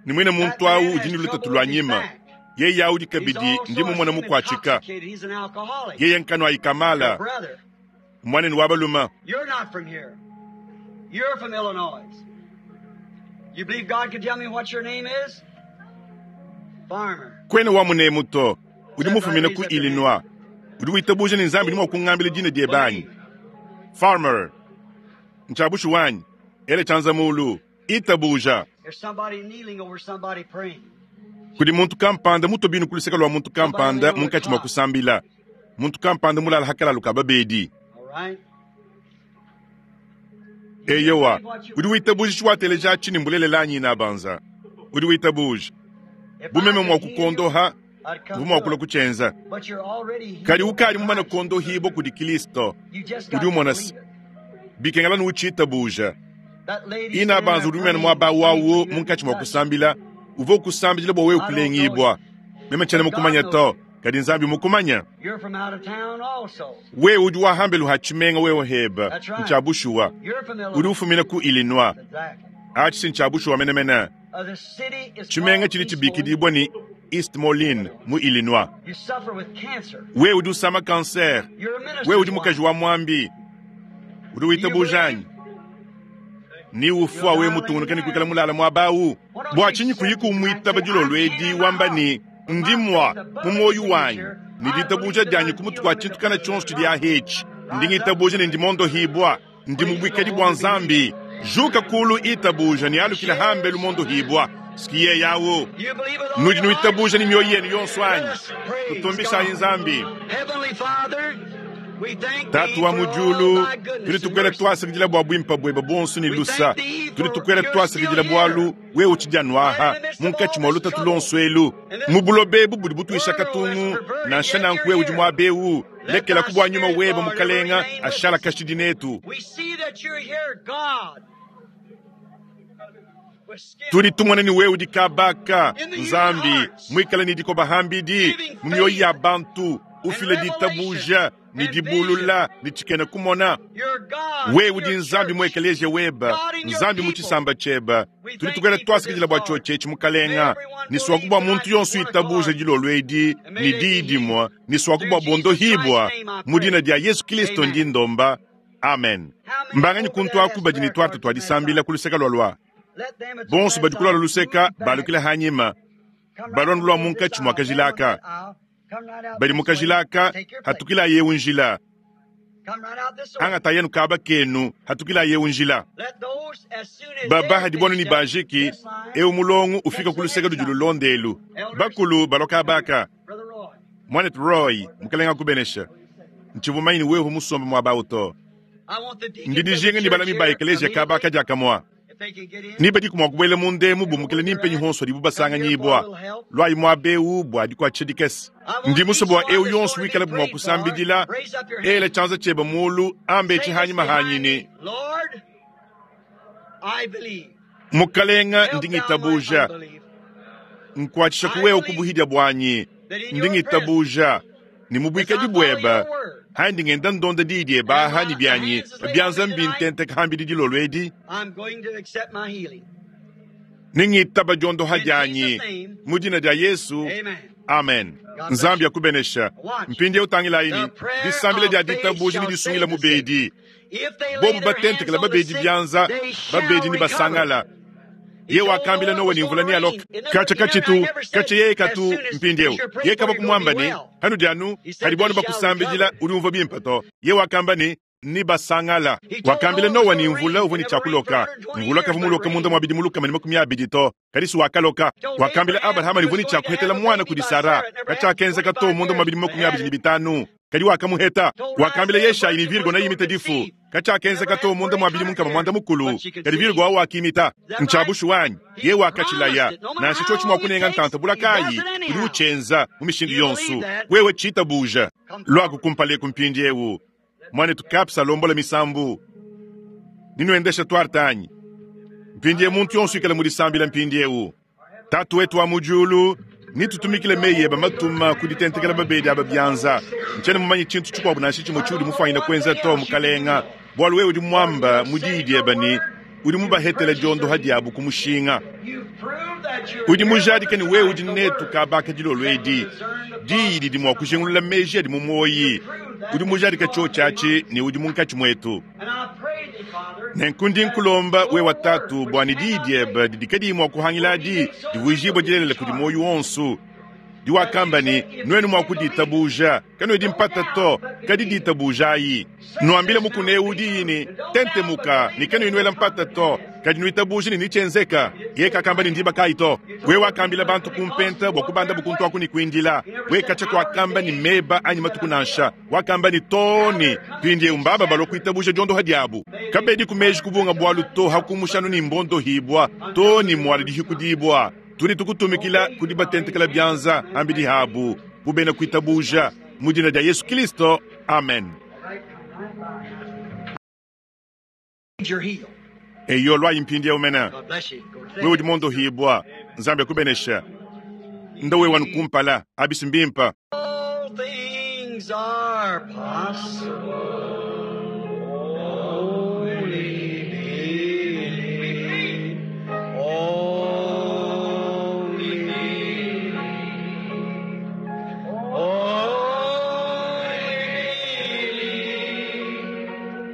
ni mwene muntu awu udi ni lutatu lwa nyima yeye audi kabidi ndi mumona mukwatshika yeye nkano ayikamala mwaneni wa baluma. You're not from here. You're from Illinois. You believe God can tell me what your name is? Farmer. Kwene wa munemu to udi mufumina ku Illinois udi witabuja ni nzambi ni kungambila dina die banyi Farmer nchabushu wanyi ele chanza mulu itabuja. There's somebody kneeling over somebody praying. Kudi muntu kampanda mutobinu kuluseka lwa muntu kampanda munkatshi mwa kusambila muntu kampanda mulala hakalalu ka babedi. Eyowa udi witabuja tshiwateleja tshini mbulelela anyi na banza udi witabuja bumeme mwa kukondoha bumwa kula kuchenza kadi ukali mumana kondohibo kudi Kristo udi umona bikengela nuuchitabuja ina banza udi umene mwaba wawo munkatshi mwa kusambila uvo kusambila bwa wewe kulengibwa meme tshene mukumanya to kadi nzambi mukumanya wewe udi wahambelu hatshimenga wewe heba nchabushuwa udi ufumina ku Illinois atshi si nchabushuwa menemene tshimenga tshili tshibikidibwa ni East Moline mu Illinois. Wewe udi usama kanser wewe udi mukaji wa mwambi udi witabujanyi ni ufwa we mutungunuka ni kuikala mulala mwabawu bwa tshinyi kuyiku mwitaba dilolo edi wamba ni ndimwa mu moyo wanyi ni ditabuja dyanyi kumutu kwa tshintu kana tshonso tshidi ahetshi ndingitabuja ni ndimondohibwa ndi mubwikadi bwa nzambi juka kulu itabuja ni alukila hambe lumondohibwa sikiye yawo nudi nuitabuja ni mioyo yenu yonso anyi tutumbishayi nzambi. Heavenly Father, Tatu wa mu diulu, tudi tukuela tuasakidila bua buimpe buebe buonso ne lusa. Tudi tukuela tuasakidila bualu wewe utshidi anuaha munkatshi mua lutatu luonso elu mu buloba ebu budi butuisha katungu. Nansha nanku wewe udi muaba eu, lekela ku bua nyuma webe mukalenga ashala kashidi netu. Tudi tumona ni wewe udi kabaka Nzambi muikale ni dikoba hambidi mu mioyo ya bantu, ufile ditabuja ni dibulula ni tshikena kumona. Wewe udi Nzambi mu ekeleziya webe, Nzambi mu tshisamba tshiebe. Tudi tukuela tuasakidila bua tshiotshi etshi mukalenga, ni suaku bua muntu yonso itabuja dilolo edi ni diyi dimue, ni suaku bua bondohibwa mu dina dia Yesu Kristo ndi ndomba. Amen. Mbanganyi kuntu aku badi ni tuarte tuadisambila ku luseka lua lua bonso badi kulala luseka balukila hanyima balondu lua munkatshi mua kajilaka badi mu kajilaka hatukila yewu njila angata yenu kaba kenu hatukila yewu njila baba hadibonu ni banjiki ewu mulongo ufika ku luseka ludi lulondelu bakulu baloka baka mwanet Roy mukalenga kubenesha ntshivumanyi ni wewe musombe muaba uto ndi dijinga ni balami ba ekeleziya kaba kadiakamua niba diku mua kubuela mu ndemu bumukile nimpenyi honso dibu basanganyibwa lwayi muaba ewu bua dikuatshisha dikese ndi musue bua ewu yonso wikale bu mua kusambidila ela tshianza tshiebe mulu ambe etshi hanyima hanyini mukalenga ndi ngitabuja nkuatshisha ku wewe kubuhidya buanyi ndi ngitabuja ni mubuikadi buebe handi ngenda ndonda diyi diebe aha ni bianyi bianza mbintenteka hambidi dilolo edi ningitaba diondoha dianyi mu dina dia Yesu. Amen. Nzambi akubenesha. Mpindieu tangilayi disambila dia ditabuja ni disungila mubedi bobu batentekela babedi bianza babedi ni basangala ye wakambila nowe ni mvula ni aloka kacha kachitu kacha yeye katu mpindieu ye kaba kumwamba ni hanu dianu hadi bwana bakusambidila uri umva bimpa to ye wakamba ni ni basangala wakambila nowa ni mvula uvo ni chakuloka mvula kavumuloka munda mwa bidi muluka mani makumi abidi to kadisi wakaloka wakambila Abrahama ni chakuhetela mwana kudi Sara kachakenza to munda mwa bidi makumi abidi ni bitanu kadi wakamuheta wakambila Yeshayi ni Virgo na yimita difu kachakenza to munda mwa bidi munkama mwanda mukulu kadi Virgo awo akimita nchabushu wanyi ye wakachilaya nansha chochi mwa kunenga ntanta bulakayi udi uchenza mu mishindu yonsu wewe chitabuja lwaku kumpale kumpindi ewu mwane tukapsa lombola misambu ninuendesha twartanyi mpindie muntu yonso ikala mudisambila mpindi ewu tatu wetu wa mujulu nitutumikile meyi eba matuma kuditentekela babedi aba bianza nchene mumanyi tshintu tshikuabu nansha tshimue tshiudi mufanyina kuenza to mukalenga bualu wewe udi muamba mudiyi dieba ni udi mubahetela diondoha diabu ku mushinga udi mujadike ni wewe udi netu kabaka dilolo edi diyi didi mua kujingulula meji adi mu muoyi udi mujadike tshiotshi ni udi munkatshi muetu nenku ndi nkulomba wewe tatu bua ni diyi diebe didi kadiyi mua kuhangiladi divuijibua dilelela kudi muoyo wonso diwakamba ni nuenu mua kuditabuja kanuedi mpata to kadi ditabujayi nuambile mukuna ewu diyi ni tentemuka ni kanuinuela mpata to kadi nuitabuja ni nitshenzeka ye kakamba ni ndiba kayi to we wakambila bantu kumpenta bua kubanda bukuntu aku ni kuindila we katsha kuakamba ni meba anyi matuku nansha wakamba ni toni tuindie umbaba balua kuitabuja diondoha diabu kabedi kumeji kubunga bualu to hakumushanu ni mbondohibwa to ni muala dihikudibwa tudi tukutumikila kudi batentekela bianza ambidi habu bubena kuitabuja mu dina dia Yesu Kristo. Amen. Eyo lwayi mpindi umena wewe udi mondohibwa Nzambi akubenesha nda wewe wanukumpala abisi mbimpa. All things are possible. Only believe. Only believe. Only believe.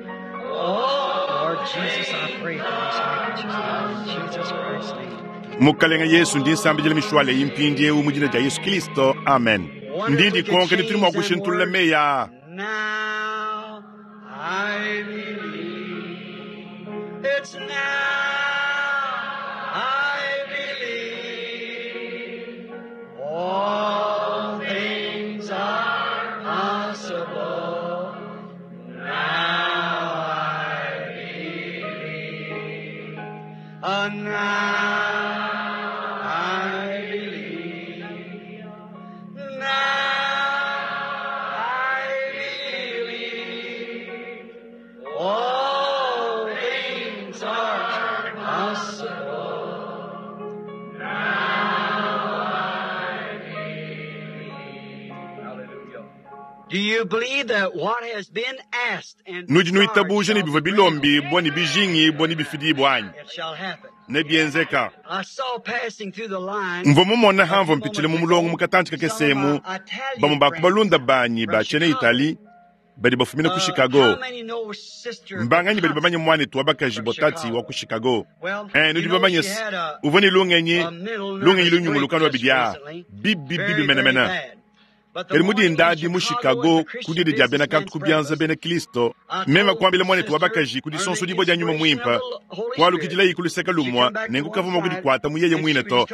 Oh, Lord Jesus, I pray for these handkerchiefs now in Jesus Christ's name. Mukalenga Yesu ndi nsambidila mishwale impindi ewu mu dina dia Yesu Kristo. Amen. Ndindi konke ni tuli mua kushintulula meya. Now I believe. It's now I believe. All things are possible. Nudi nuitabuja ne bivua bilombibua ne bijingibua ne bifidibua anyi? Nebienzeka. Mvua mumona hamvua mpitshile mu mulongo mu katantshi kakesemu, bamue ba ku balunda banyi ba tshiena Itali badi bafumina ku Chicago. Mbanganyi badi bamanye muanetu wa bakaji Botati wa ku Chicago? Eh, nudi bamanye uvua ne lungenyi lungenyi lunyunguluka lua bidia bibi bibi menemene. Kadi mudindadi mu Chicago ku didi dia bena kantu ku bianza bena Kristo, meme kuambila muanetu wa bakaji ku disonso dibua dia nyuma muimpe, kualukidilayi ku luseke lumua nenku kavua mua kudikwata mu yeye muine to.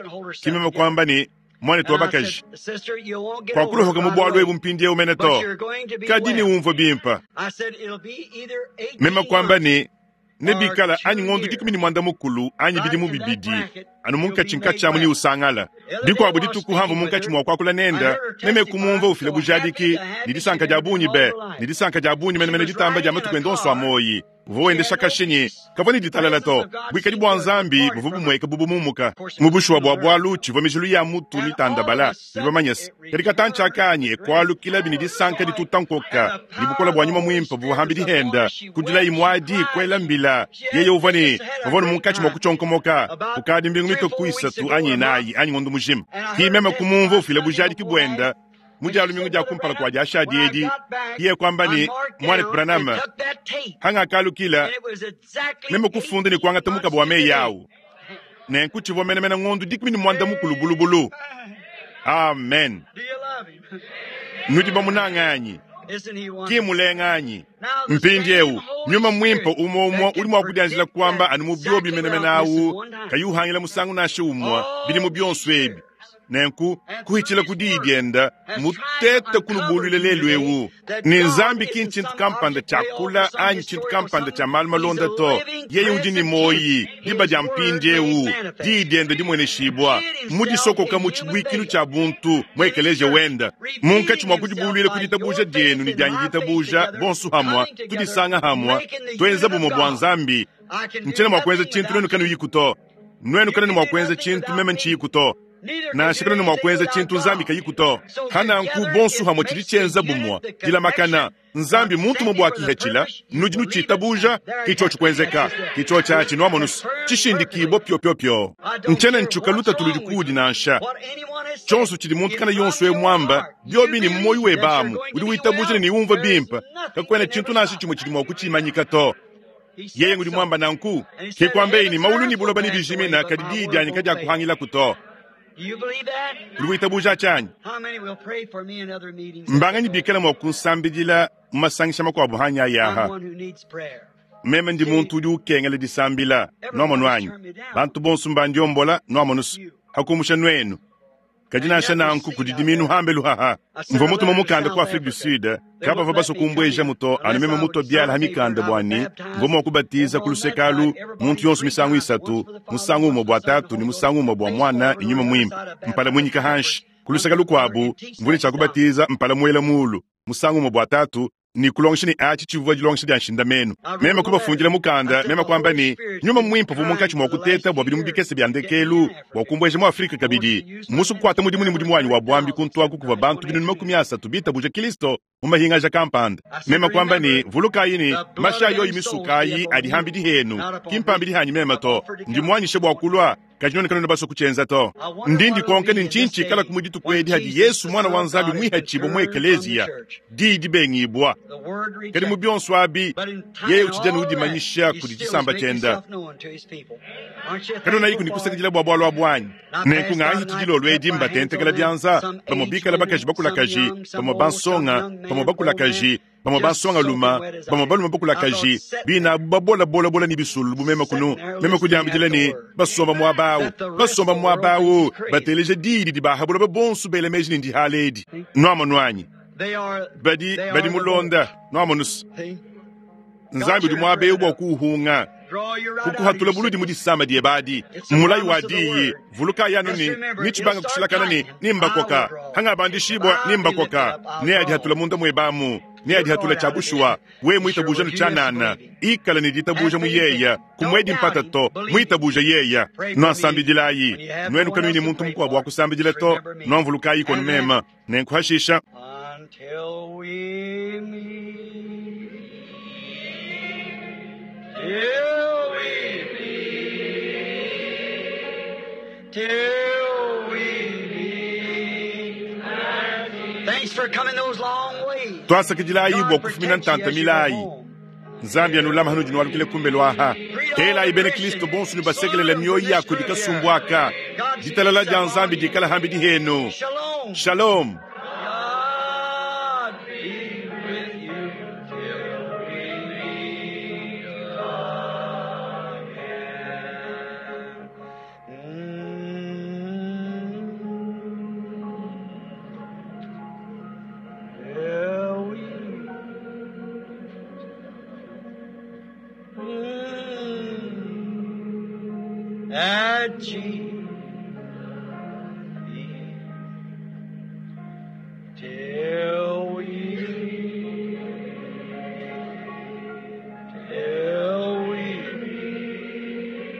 Ki meme kuamba ne muanetu wa bakaji, kwakulohoka mu bwalu ebu mpindiewu mene to, kadi ne umvua bimpe. Meme kuamba ne nebikala anyi ngondo dikumi ne mwanda mukulu anyi bidimu bibidi anu munkatshi nkatshi amu ni usangala dikuabu dituku hamvu munkatshi mua kuakula nenda meme kumumva ufila bujadiki ne disanka dia bungi be ne disanka dia bungi menemene ditamba dia matuku ende onso a moyi uvua wendesha kashinyi kavua ne ditalala to buikadi bua nzambi buvua bumueka bubumumuka mu bushuwa bua bwalu tshivua mijilu ya mutu mitandabala bidi bamanyese kadi katantshi akanyi ekualukila bini disanka ditutankoka ne bukola bua nyuma muimpe buvua hambi dihenda kudilayi muadi kuela mbila yeye uvua ne bavua ne munkatshi mua kutshonkomoka kukadi mbingu mitoku isatu anyi inayi anyi ngondo mujima ki meme kumumva ufila bujadiki buenda mudialu mingu dia kumpala kua diashadi edi iye kwamba ni mwana Branham hangakalukila meme kufunda ne kuangata mukaba wa meyi awu nenku tshivua menemene ngondo dikumi ne mwanda mukulu bulubulu. Amen. Nudi bamunanga ki mulenga mpindiewu nyuma mwimpe umwe umwe uli mwa kudianjila kwamba anu mu byobi menemene awu kayuhangila musangu nashe umwe bili mu byonso ebi nenku kuhichila kudiyi dienda mutete kulubulwile lelu ewu ni nzambi ki nchintu kampanda chakula anyi chintu kampanda cha malu malonda to yeye udi ni moyi diba dia mpindiewu diyi dienda dimweneshibwa mudisokoka mu tshibwikilu cha buntu mwekeleje wenda munkatshi mwa kudibulwile kuditabuja dienu ni dianyi ditabuja bonso hamwa tudisanga hamwa twenza bumwe bwa nzambi nchena mwa kuenza chintu nwenu kanu yiku to nwenu kana ni mwa kuenza chintu meme nchiyiku to nansha kana mwa kuenza chintu nzambi kayiku to hananku bonso hamwe chili chenza bumwa dilamakana nzambi muntu mubwakihechila nudi nuchitabuja kicho chikwenzeka kicho chachi nwamonusu chishindikibwa pyopyopyo nchena nchuka lutatu ludi kudi nansha chonso chili muntu kana yonso emwamba byobi ni mmoyi webamu udi witabuja ni umva bimpa kakwena chintu nansha chimwe chili mwa kuchimanyika to yeye ngudi mwamba nanku kikwambeini maulu ni buloba ni bijimina kadi diyi dyanyi kadyakuhangila kuto. Uli witabuja chanyi mbanganyi bikala mwa kunsambidila mu masangisha makuabu hanya yaha meme ndi muntu udi ukengela disambila nwamonu anyi bantu bonso mbandiombola nwamonusu hakumusha nwenu kadi nansha nanku kudi diminu hambelu haha mvua mutuma mukanda ku Afrique du Sud kabava baso kumbweja muto anu meme muto biala ha mikanda bwani mvua mua kubatiza ku lusekalu muntu yonso misangu isatu musangu umwe bua tatu ni musangu umwe bua mwana ni nyuma mwimpe mpala mwinyika hanshi ku luseka lukuabu mvua ne tshia kubatiza mpala muela mulu musangu umwe bua tatu ni kulongesha ni achi chivua dilongesha dia nshindamenu meme kubafundila mukanda meme kwamba ni nyuma mwimpe vua munkatshi mwa kuteta bua bidimu bikese bya ndekelu bua kumbweja mu Afrika kabidi musu kukwata mudimu ni mudimu wanyi wa bwambi kuntwaku kuva bantu binunu makumi asatu bitabuja Kristo mu mahingaja kampanda meme kwamba ni vulukayi ni masha yoyi misukayi adi dihenu kimpambi dihanyi meme to ndi mwanyishe bua kulwa kajinonekana baso kuchenza to ndindi konke ni nchinchi kala kumuditu kwedi hadi Yesu mwana wa nzambi mwihachibo mu ekelezia didi dibengibwa kadi mu byonso abi yeye uchijana udimanyisha kudi chisamba chenda kadi nayiku nikusakidila bwa bwalwa bwanyi nenku ng'anyi tidilolo edi mbatentekela dianza pamwe bikala bakaji bakulakaji pamwe bansonga pamwe bakulakaji pamwe bansonga luma pamwe baluma bakulakaji bina babola-bola-bola ni bisulu bumeme kunu meme kudiambidila ni basomba mwabawu basomba mwabawu bateleja didi dibahabula babonso bela meji ni ndihala edi nwamonu anyi badi badi mulonda nwamonusu nzambi udi mwabewu bua kuuhunga kukuhatula buludi mu disama diebadi mulayi wa diyi vuluka yanu ni nichibanga kushilakana ni nimbakoka hangabandishibwa nimbakoka ne adihatula munda mwebamu ne adihatula cha bushuwa we mwitabuja nu chanana ikala ni ditabuja mu yeya kumwedi mpata to mwitabuja yeya nwansambidilayi nwenu kanwini muntu mukuabu wa kusambidila to nwamvulukayi konu mema nenkuhashisha. Till we meet. Till we meet. Till we meet. Thanks for coming those long ways. Twasakidilayi bua God kufumina protect you ntanta as you go milayi. home. Nzambi anulama hanu dinwalukile kumbe lwaha. Telayi bena Kristo bonso ne basekelela mioyo yako dikasumbwaka. Ditalala dia Nzambi dikala hambi dihenu. Shalom. Shalom. God be with you till we meet again. Mm. Till we Mm. At Jesus. Till we, till we meet,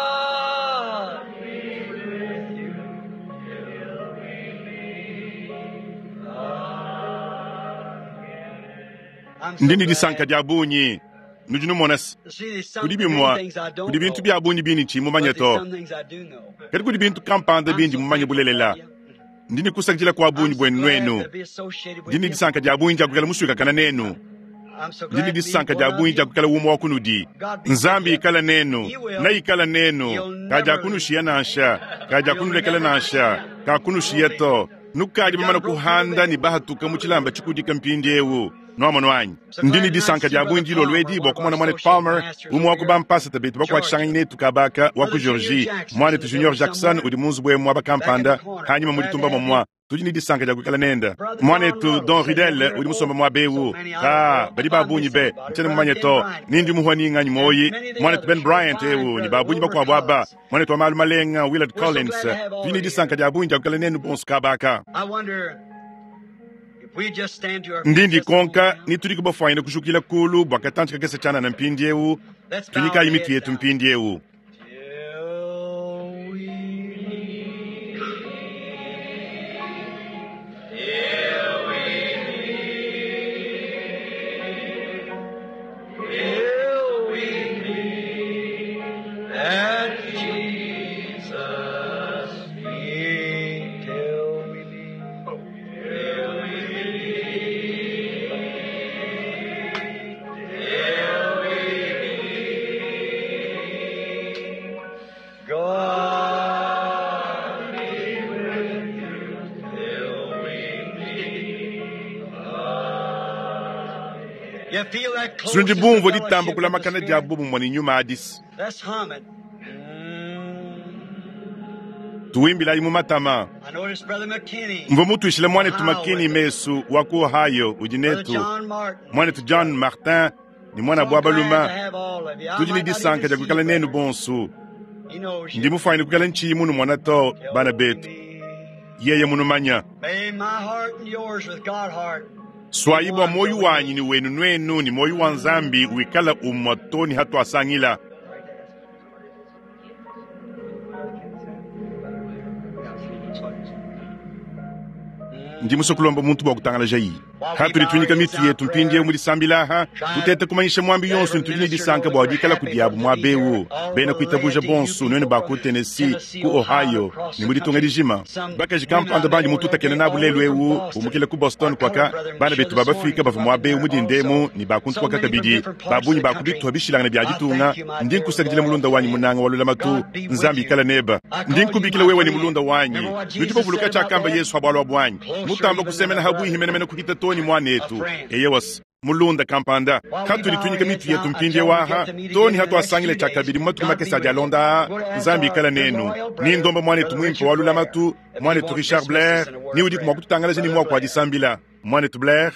God be with you till we meet again. I'm so Ndini glad disanka dia bunyi. Nudi numona se. to see there's some Kudi many bimwa, things I don't kudi bintu know, bia bunyi bini chi mumanye but there's to. some things I do know. Kadi kudi bintu kampanda I'm bindi so mumanye thankful for bulelela. you. Ndini kusakidila kwa bunyi I'm so bwenu glad nwenu. to be associated with Ndini you. disanka dia bunyi dia kukala muswikakana nenu. I'm so Ndini glad to be disanka one dia of bunyi dia you. kukala umwe wa kunudi. God be with Nzambi you. ikala nenu, He will. na ikala nenu. He'll never Kaja leave. kunushiya nansha, kaja He'll kunulekela never nansha, kakunushiya to. Nukadi You bamana done broke through the kuhanda ni veil. bahatuka mu chilamba chikudika mpindi ewu. Nwamano anyi. So Ndini glad tonight to disanka see dia Brother bunyi ndilo Palmer, lwedi one bwa of our kumona mwane associate Palmer, pastors umwe over wa here, kubampasa tabetu Georgia. bakwachisanganya netu kabaka wa ku Brother Junior Georgie. Jackson's in Mwanetu the Junior building Jackson somewhere, udi munzu bwemu back in the wabakampanda corner. hanyuma Glad to mulitumba have you. momwa. Tudi ni disanka dia kukala nenda. Brother Don Mwanetu Ruddle Don sitting over Riddell here. udi musomba Oh, mwa so bewu. many I don't Ka know badi if I babunyi miss be anybody. nchene Brother mumanye Ben to Bryant nindi there, muhwani ng'anyi and moyi many of the mwanetu Ben others. You're Bryant fine, ewu ni Brother babunyi Wilbur bakwabo aba Collins. mwanetu wa malu malenga Willard We're so Collins glad to have all tudi ni of you disanka here. dia bunyi dia kukala nenu bonso kabaka. I wonder if we just stand to our feet Ndindi just a moment konka now. ni tudi kubafwanyina kushukila kulu bwa katanchi kakese chana na mpindi ewu Let's bow our tunyikayi mitu heads yetu now. mpindi ewu. Till we meet. Till we meet. Till we meet at Jesus' feet. Till we meet. Till we meet. Till we meet. God be with you till we meet again. You feel that Sundi closeness of bumvo ditamba fellowship with the kulamakana dia Spirit? bubu mwani nyuma adisi. Let's hum it. Mm. Tuwimbilayi mu matama. I noticed Brother McKinney, Mvo mutwishile mwanetu Ohio, Makini with us. Mesu wa ku Ohio udi Brother netu. John Martin. Mwanetu John Martin ni mwana So bwa glad to baluma. have all of you. I Tudi ni might not even disanka dia see you, kukala nenu brother. bonso. He knows Ndi you. mufwanyine kukala nchiyi munu mwana to bana Till we betu. meet. Yeye munumanya. May my heart and yours with God heart be Swayi bwa one moyo till we wanyi meet. ni wenu nwenu ni moyo wa Nzambi wikala umwa toni hatu asangila. Ndi musokulomba muntu bwa kutangala jayi. While we Hatuli bow our tunyika heads mitu now in yetu mpindi prayer, mulisambilaha try tutete kumanyisha mwambi that yonso every ntuli ni minister disanka knows bwa we're dikala happy kudiabu to mwa be here. bewu All bena the kuitabuja laity, you bonso nwene people ba from ku Tennessee Tennessee, ku Ohio, Ohio across ni the mulitunga country. lijima Some bakaji women I kampanda met banji over there, mututakene they nabu all the way lelu from ewu Boston. umukile ku Boston Our colored kwaka brethren bana sure betu this baba morning Afrika come bava up mwa in bewu there mudindemu also. ni bakuntu So kwaka many from kabidi different parts of babunyi the country. bakubitwa bishilangana bya I ditunga thank you, my ndi dear nkusakidila loyal mulunda wanyi friend. munanga walula matu God be with Nzambi you. ikala neba I ndi call you nkubikila my wewe ni friend. mulunda wanyi Remember what nudi Jesus bavuluka said about chakamba that? Yesu habwalwa bwanyi Closer mutamba even than kusemena a habwihi brother, menemene kuhita toni a mwanetu friend. eye wasi mulunda kampanda While we hatuli bow our tunyika heads mitu yetu now mpindi until we waha get to meet again toni in the hatu next asangile two cha days, kabiri mu matuku God be makesa with you. alonda We're going to ask Nzambi our ikala good nenu loyal ni brother, ndomba mwanetu Brother mwimpe Richard walula Blair, matu if he mwanetu won't Richard dismiss us Blair in a word ni of udi prayer. kumwa kututangalaje ni Brother mwako Blair. adisambila mwanetu Blair.